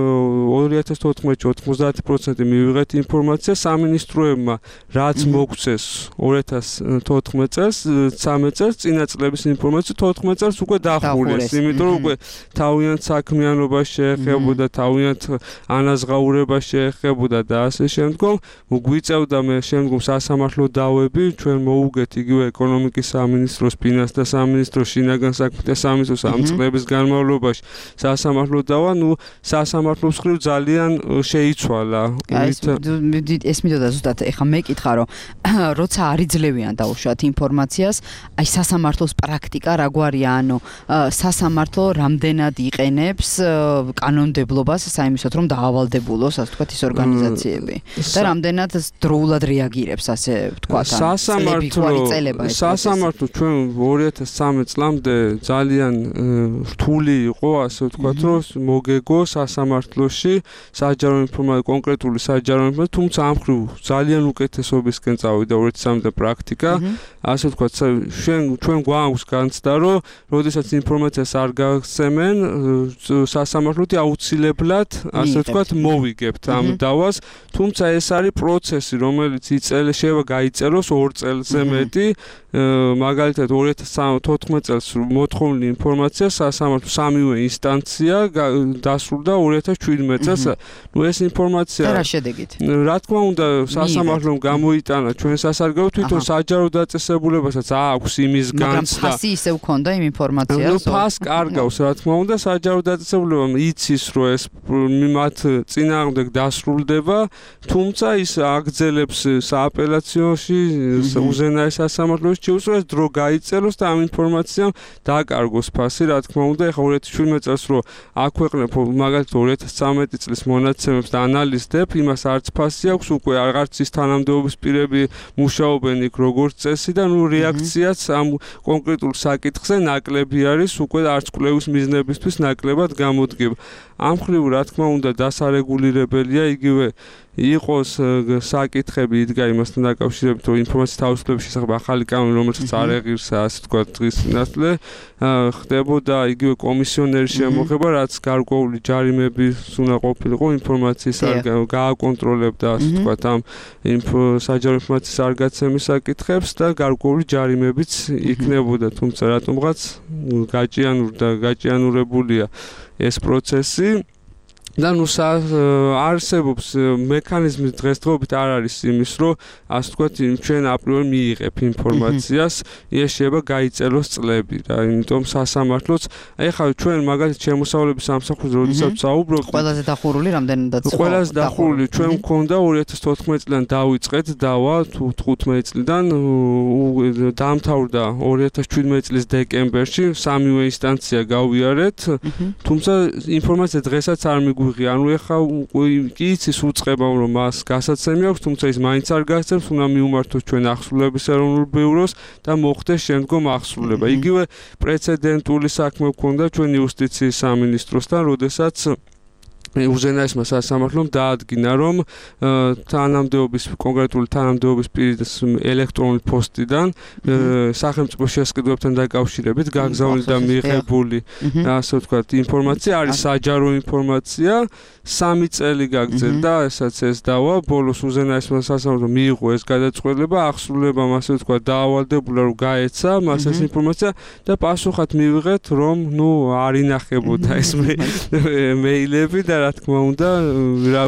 2014-ში 90% მივიღეთ ინფორმაცია სამინისტროებმა, რაც მოგვცეს 2014 წელს, 13 წელს წინა წლების ინფორმაცია 14 წელს უკვე დახურეს, იმიტომ რომ უკვე თავიანთ საქმიანობას შეეხებოდა, თავიანთ ანაზღაურებას შეეხებოდა და ასე შემდგომ, გვიწევდა მე შემდგომ სასამართლო დავები, ჩვენ მოუგეთ იგივე ეკონომიკის სამინისტროს, ფინანსთა სამინისტროს, შინაგან საქმეთა სამინისტროს ამ წლების განმავლობაში სასამართლო დავა, ნუ სასამართლოს მხრივ ძალიან შეიცვალა. ეს მიდოდა ზუსტად ეხა მეკითხა რომ როცა არ იძლევიან დაუშვათ ინფორმაციას, აი სასამართლოს პრაქტიკა რა გვარია, ანუ სასამართლო რამდენად იყენებს კანონმდებლობას საიმისოდ რომ დაავალდებულოს, ასე ვთქვათ, ის ორგანიზაციები და რამდენად დროულად რეაგირებს, ასე ვთქვათ, სასამართლო ჩვენ 2013 წლამდე ძალიან რთული იყო, ასე ვთქვათ, რომ მოგეგო სასამართლოში საჯარო ინფორმაცია, კონკრეტული საჯარო ინფორმაცია, თუმცა ამ მხრივ ძალიან უკეთესობისკენ წავიდა 2013 პრაქტიკა, ასე ვთქვათ, ჩვენ გვაქვს განცდა, რომ როდესაც ინფორმაციას არ გაგცემენ, სასამართლოთი აუცილებლად, ასე ვთქვათ, მოვიგებთ ამ დავას, თუმცა ეს არის პროცესი, რომელიც შეიძლება გაიწეროს 2 წელზე მეტი, მაგალითად 2014 წელს მოთხოვნილი ინფორმაცია სასამართლო სამივე ინსტანცია დასრულდა 2017 წელს. ნუ ეს ინფორმაცია რა შედეგით? რა თქმა უნდა, სასამართლომ გამოიტანა ჩვენ სასარგებლო თვითონ საჯარო დაწესებულებასაც აქვს იმის განცდა. მაგრამ ფასი ისევ ქონდა იმ ინფორმაციას. ნუ ფას კარგავს, რა თქმა უნდა, საჯარო დაწესებულებამ იცის, რომ ეს მათ წინააღმდეგ დასრულდება, თუმცა ის აგრძელებს სააპელაციოში უზენაეს სასამართლოში შეუსრულებს დრო გაიწეროს და ამ ინფორმაციამ დაკარგოს ფასი, რა თქმა უნდა, ეხლა 2017 წელს რო აქვეყნებ მაგალითად 2013 წლის მონაცემებს და ანალიზდებ, იმას არც ფასი აქვს, უკვე აღარც ის თანამდებობის პირები მუშაობენ იქ როგორც წესი და ნუ რეაქციაც ამ კონკრეტულ საკითხზე ნაკლები არის, უკვე არც კვლევის მიზნებისთვის ნაკლებად გამოდგება. ამ მხრივ რა თქმა უნდა დასარეგულირებელია იგივე იყოს საკითხები იდგა იმასთან დაკავშირებით, რომ ინფორმაციის თავისუფლების შესახებ ახალი კანონი, რომელსაც არ ეღირსა, ასე ვთქვათ, დღის წინასწარ ხდებოდა იგივე კომისიონერის შემოღება, რაც გარკვეული ჯარიმების უნდა ყოფილიყო ინფორმაციის გააკონტროლებდა, ასე ვთქვათ, ამ საჯარო ინფორმაციის არ გაცემის საკითხებს და გარკვეული ჯარიმებიც იქნებოდა, თუმცა რატომღაც გაჭიანურებულია ეს პროცესი. და ნუ არსებობს მექანიზმი დღესდღეობით არ არის იმის, რომ ასე ვთქვათ, ჩვენ აპრიორი მიიღებ ინფორმაციას, ეს შეიძლება გაიწეროს წლები და იმიტომ სასამართლოც, ეხლა ჩვენ მაგალითად შემოსავლების სამსახურზე როდესაც საუბრობთ, ყველაზე დახურული რამდენადაც ყველაზე დახურული ჩვენ მქონდა 2014 წლიდან დავიწყეთ დავა თუ 15 წლიდან დაამთავრდა 2017 წლის დეკემბერში, სამივე ინსტანცია გავიარეთ, თუმცა ინფორმაცია დღესაც არ ანუ ეხა კი იცის უწყება რომ მას გასაცემი აქვს, თუმცა ის მაინც არ გასცემს, უნდა მიუმართოს ჩვენ ახსრულების ეროვნულ ბიუროს და მოხდეს შემდგომ ახსრულება. იგივე პრეცედენტული საქმე გვქონდა ჩვენ იუსტიციის სამინისტროსთან, როდესაც უზენაესმა სასამართლომ დაადგინა, რომ კონკრეტული თანამდებობის პირის ელექტრონული პოსტიდან სახელმწიფო შესყიდვებთან დაკავშირებით გაგზავნილი და მიღებული, ასე ვთქვათ, ინფორმაცია არის საჯარო ინფორმაცია, 3 წელი გაგრძელდა, ესაც ეს დავა, ბოლოს უზენაესმა სასამართლომ მიიღო ეს გადაწყვეტილება, ახსრულებამ, ასე ვთქვათ, დაავალდებულა, რომ გაეცა მას ეს ინფორმაცია და პასუხად მივიღეთ, რომ არ ინახებოდა ეს მეილები და რა თქმა უნდა,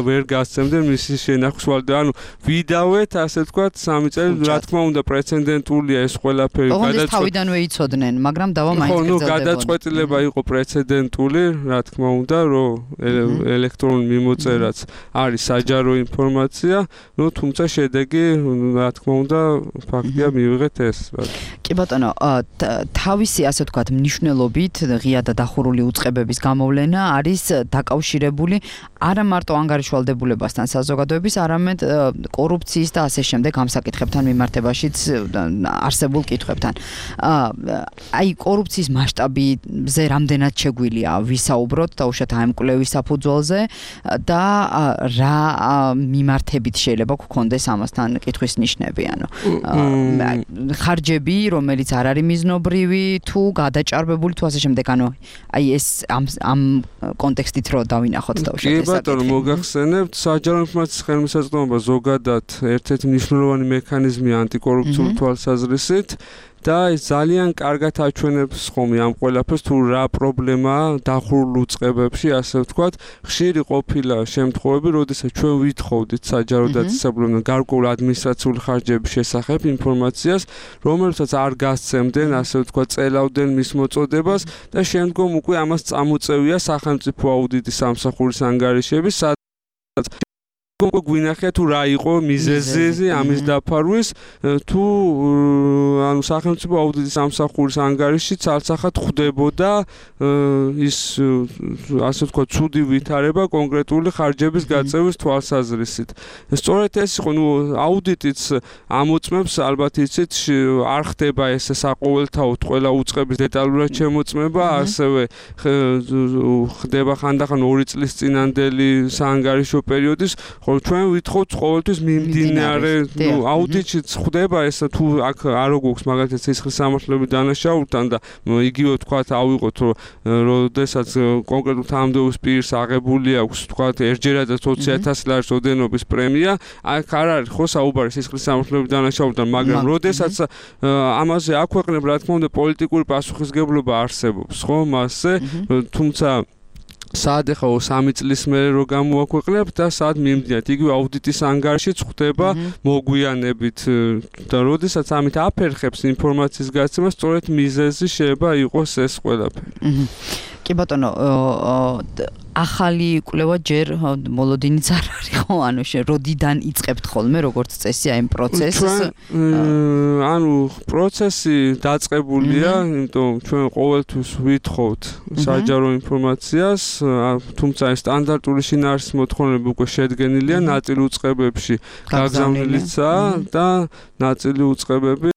ვერ გასცემდნენ მისი შენახვის ვალდე. ანუ ვიდავეთ, ასე ვთქვათ, 3 წელი, რა თქმა უნდა, პრეცედენტულია ეს ყველაფერი. გადაწყვეტილება თავიდანვე იცოდნენ, მაგრამ დავა მაინც გრძელდებოდა. გადაწყვეტილება იყო პრეცედენტული, რა თქმა უნდა, რომ ელექტრონული მიმოწერაც არის საჯარო ინფორმაცია, თუმცა შედეგი, რა თქმა უნდა, ფაქტია მივიღეთ ეს. კი ბატონო, თავისი, ასე ვთქვათ, მნიშვნელობით ღია და დახურული უწყებების გამოვლენა არის დაკავშირებული არა მარტო ანგარიშვალდებულებასთან საზოგადოების, არამედ კორუფციის და ასე შემდეგ ამ საკითხებთან მიმართებაშიც არსებულ კითხვებთან. აი კორუფციის მასშტაბზე რამდენად შეგვიძლია ვისაუბროთ დაუშვათ ამ კვლევის საფუძველზე და რა მიმართებით შეიძლება გქონდეს ამასთან კითხვის ნიშნები, ანუ ხარჯები, რომელიც არ არის მიზნობრივი თუ გადაჭარბებული თუ ასე შემდეგ, ანუ აი ეს ამ კონტექსტით რო დავინახოთ დაუშვათ ეს საკითხი. კი ბატონო, მოგახსენებთ, საჯარო ინფორმაციის ხელმისაწვდომობა ზოგადად ერთ-ერთი მნიშვნელოვანი მექანიზმია ანტიკორუფციული თვალსაზრისით და ძალიან კარგად აჩვენებს ხომი ამ ყველაფერს, თუ რა პრობლემაა დახურულ უწყებებში, ასე ვთქვათ, ხშირი ყოფილა შემთხვევები, როდესაც ჩვენ ვითხოვდით საჯარო დაწესებულებიდან გარკვეული ადმინისტრაციული ხარჯების შესახებ ინფორმაციას, რომელსაც არ გასცემდნენ, ასე ვთქვათ, წელავდნენ მის მოწოდებას და შემდგომ უკვე ამას წამოწევია სახელმწიფო აუდიტის სამსახურის ანგარიშები, გვინახია თუ რა იყო მიზეზი ამის დაფარვის, თუ ანუ სახელმწიფო აუდიტის სამსახურის ანგარიში ცალსახად ხვდებოდა ის, ასე ვთქვათ, ცუდი ვითარება კონკრეტული ხარჯების გაწევის თვალსაზრისით. სწორედ ეს იყო, აუდიტიც ამოწმებს, ალბათ იცით, არ ხდება ეს საყოველთაოდ ყველა უწყების დეტალურად შემოწმება, ასევე ხდება ხანდახან 2 წლის წინანდელი საანგარიშო პერიოდის, ხოლო ჩვენ ვითხოვთ ყოველთვის მიმდინარე, აუდიტიც ხდება ეს, თუ აქ არ გვაქვს მაგალითად სისხლის სამართლების დანაშაულთან და იგივე ვთქვათ, ავიღოთ, რომ როდესაც კონკრეტულ თანამდებობის პირს აღებული აქვს, ვთქვათ, ერთჯერადაც 20,000 ლარის ოდენობის პრემია, აქ არ არის ხო საუბარი სისხლის სამართლების დანაშაულთან, მაგრამ როდესაც ამაზე აქვეყნებ, რა თქმა უნდა, პოლიტიკური პასუხისგებლობა არსებობს, ხო, მასზე, თუმცა სად ეხა 3 წლის მერე რო გამოაქვეყნებ და სად მიმდინათ, იგივე აუდიტის ანგარიშიც ხდება მოგვიანებით და როდესაც ამით აფერხებს ინფორმაციის გაცემა, სწორედ მიზეზი შეიძლება იყოს ეს ყველაფერი. კი ბატონო, ახალი კვლევა ჯერ მოლოდინიც არ არის ხო, ანუ როდიდან იწყებთ ხოლმე როგორც წესი აი პროცესს? ანუ პროცესი დაწყებულია, იმიტომ ჩვენ ყოველთვის ვითხოვთ საჯარო ინფორმაციას, თუმცა ეს სტანდარტული შინაარსის მოთხოვნები უკვე შედგენილია, ნაწილი უწყებებში გაგზავნილიცაა და ნაწილი უწყებები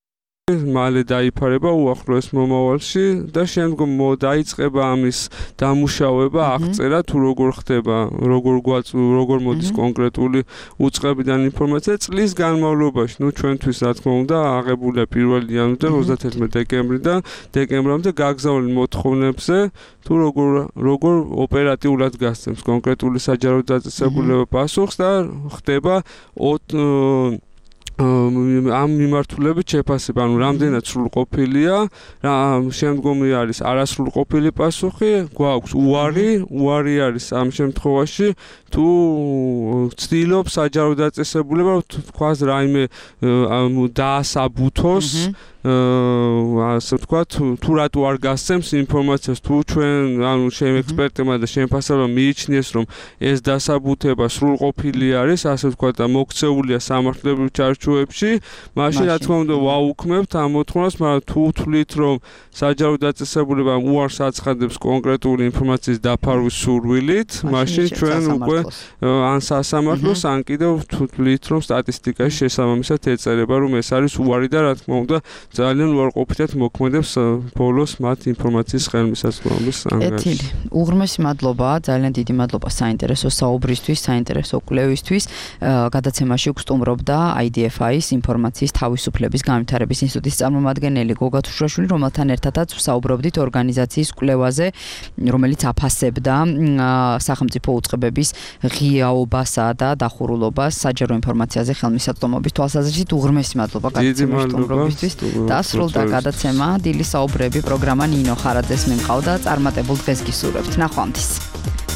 მალე დაიფარება უახლოეს მომავალში და შემდგომ დაიწყება ამის დამუშავება, აღწერა თუ როგორ ხდება, როგორ მოდის კონკრეტული უწყებიდან ინფორმაცია წლის განმავლობაში. ნუ ჩვენთვის რა თქმა უნდა აღებულია 1 იანვრიდან 31 დეკემბრამდე გაგზავნილ მოთხოვნებზე თუ როგორ ოპერატიულად გასცემს კონკრეტული საჯარო დაწესებულება პასუხს და ხდება ამ მიმართულებით შეფასება, ანუ რამდენად სრულყოფილია, შემდგომი არის არასრულყოფილი პასუხი, გვაქვს უარი არის ამ შემთხვევაში, თუ ცდილობს საჯარო დაწესებულება, თქვას რაიმე დაასაბუთოს, ასე ვთქვათ, თუ რატო არ გასცემს ინფორმაციას, თუ ჩვენ, ანუ შენ ექსპერტებმა და შემფასებმა მიიჩნიეს, რომ ეს დასაბუთება სრულყოფილი არის, ასე ვთქვათ და მოქცეულია სამართლებრივ ჩარჩოებში, მაშინ რა თქმა უნდა ვაუქმებთ ამ მოთხოვნას, მაგრამ თუ თვლით, რომ საჯარო დაწესებულებამ უარს აცხადებს კონკრეტული ინფორმაციის დაფარვის სურვილით, მაშინ ჩვენ უკვე ან სასამართლოს, ან კიდევ თვლით, რომ სტატისტიკაში შესაბამისად ეწერება, რომ ეს არის უარი და რა თქმა უნდა ძალიან უარყოფითად მოქმედებს ბოლოს მათ ინფორმაციის ხელმისაწვდომის ანგარიში. უღრმესი მადლობა, ძალიან დიდი მადლობა საინტერესო საუბრისთვის, საინტერესო კვლევისთვის. გადაცემაში გსტუმრობდა IDFI-ის ინფორმაციის თავისუფლების განვითარების ინსტიტუტის წარმომადგენელი გოგა თუშრაშვილი, რომელთან ერთადაც ვსაუბრობდით ორგანიზაციის კვლევაზე, რომელიც აფასებდა სახელმწიფო უწყებების ღიაობასა და დახურულობას საჯარო ინფორმაციაზე ხელმისაწვდომობის თვალსაზრისით. უღრმესი მადლობა გადაცემაში სტუმრობისთვის. დასრულდა გადაცემა დილის საუბრები პროგრამა ნინო ხარაძეს მიმყავდა წარმატებულ დღეს გისურვებთ. ნახვამდის.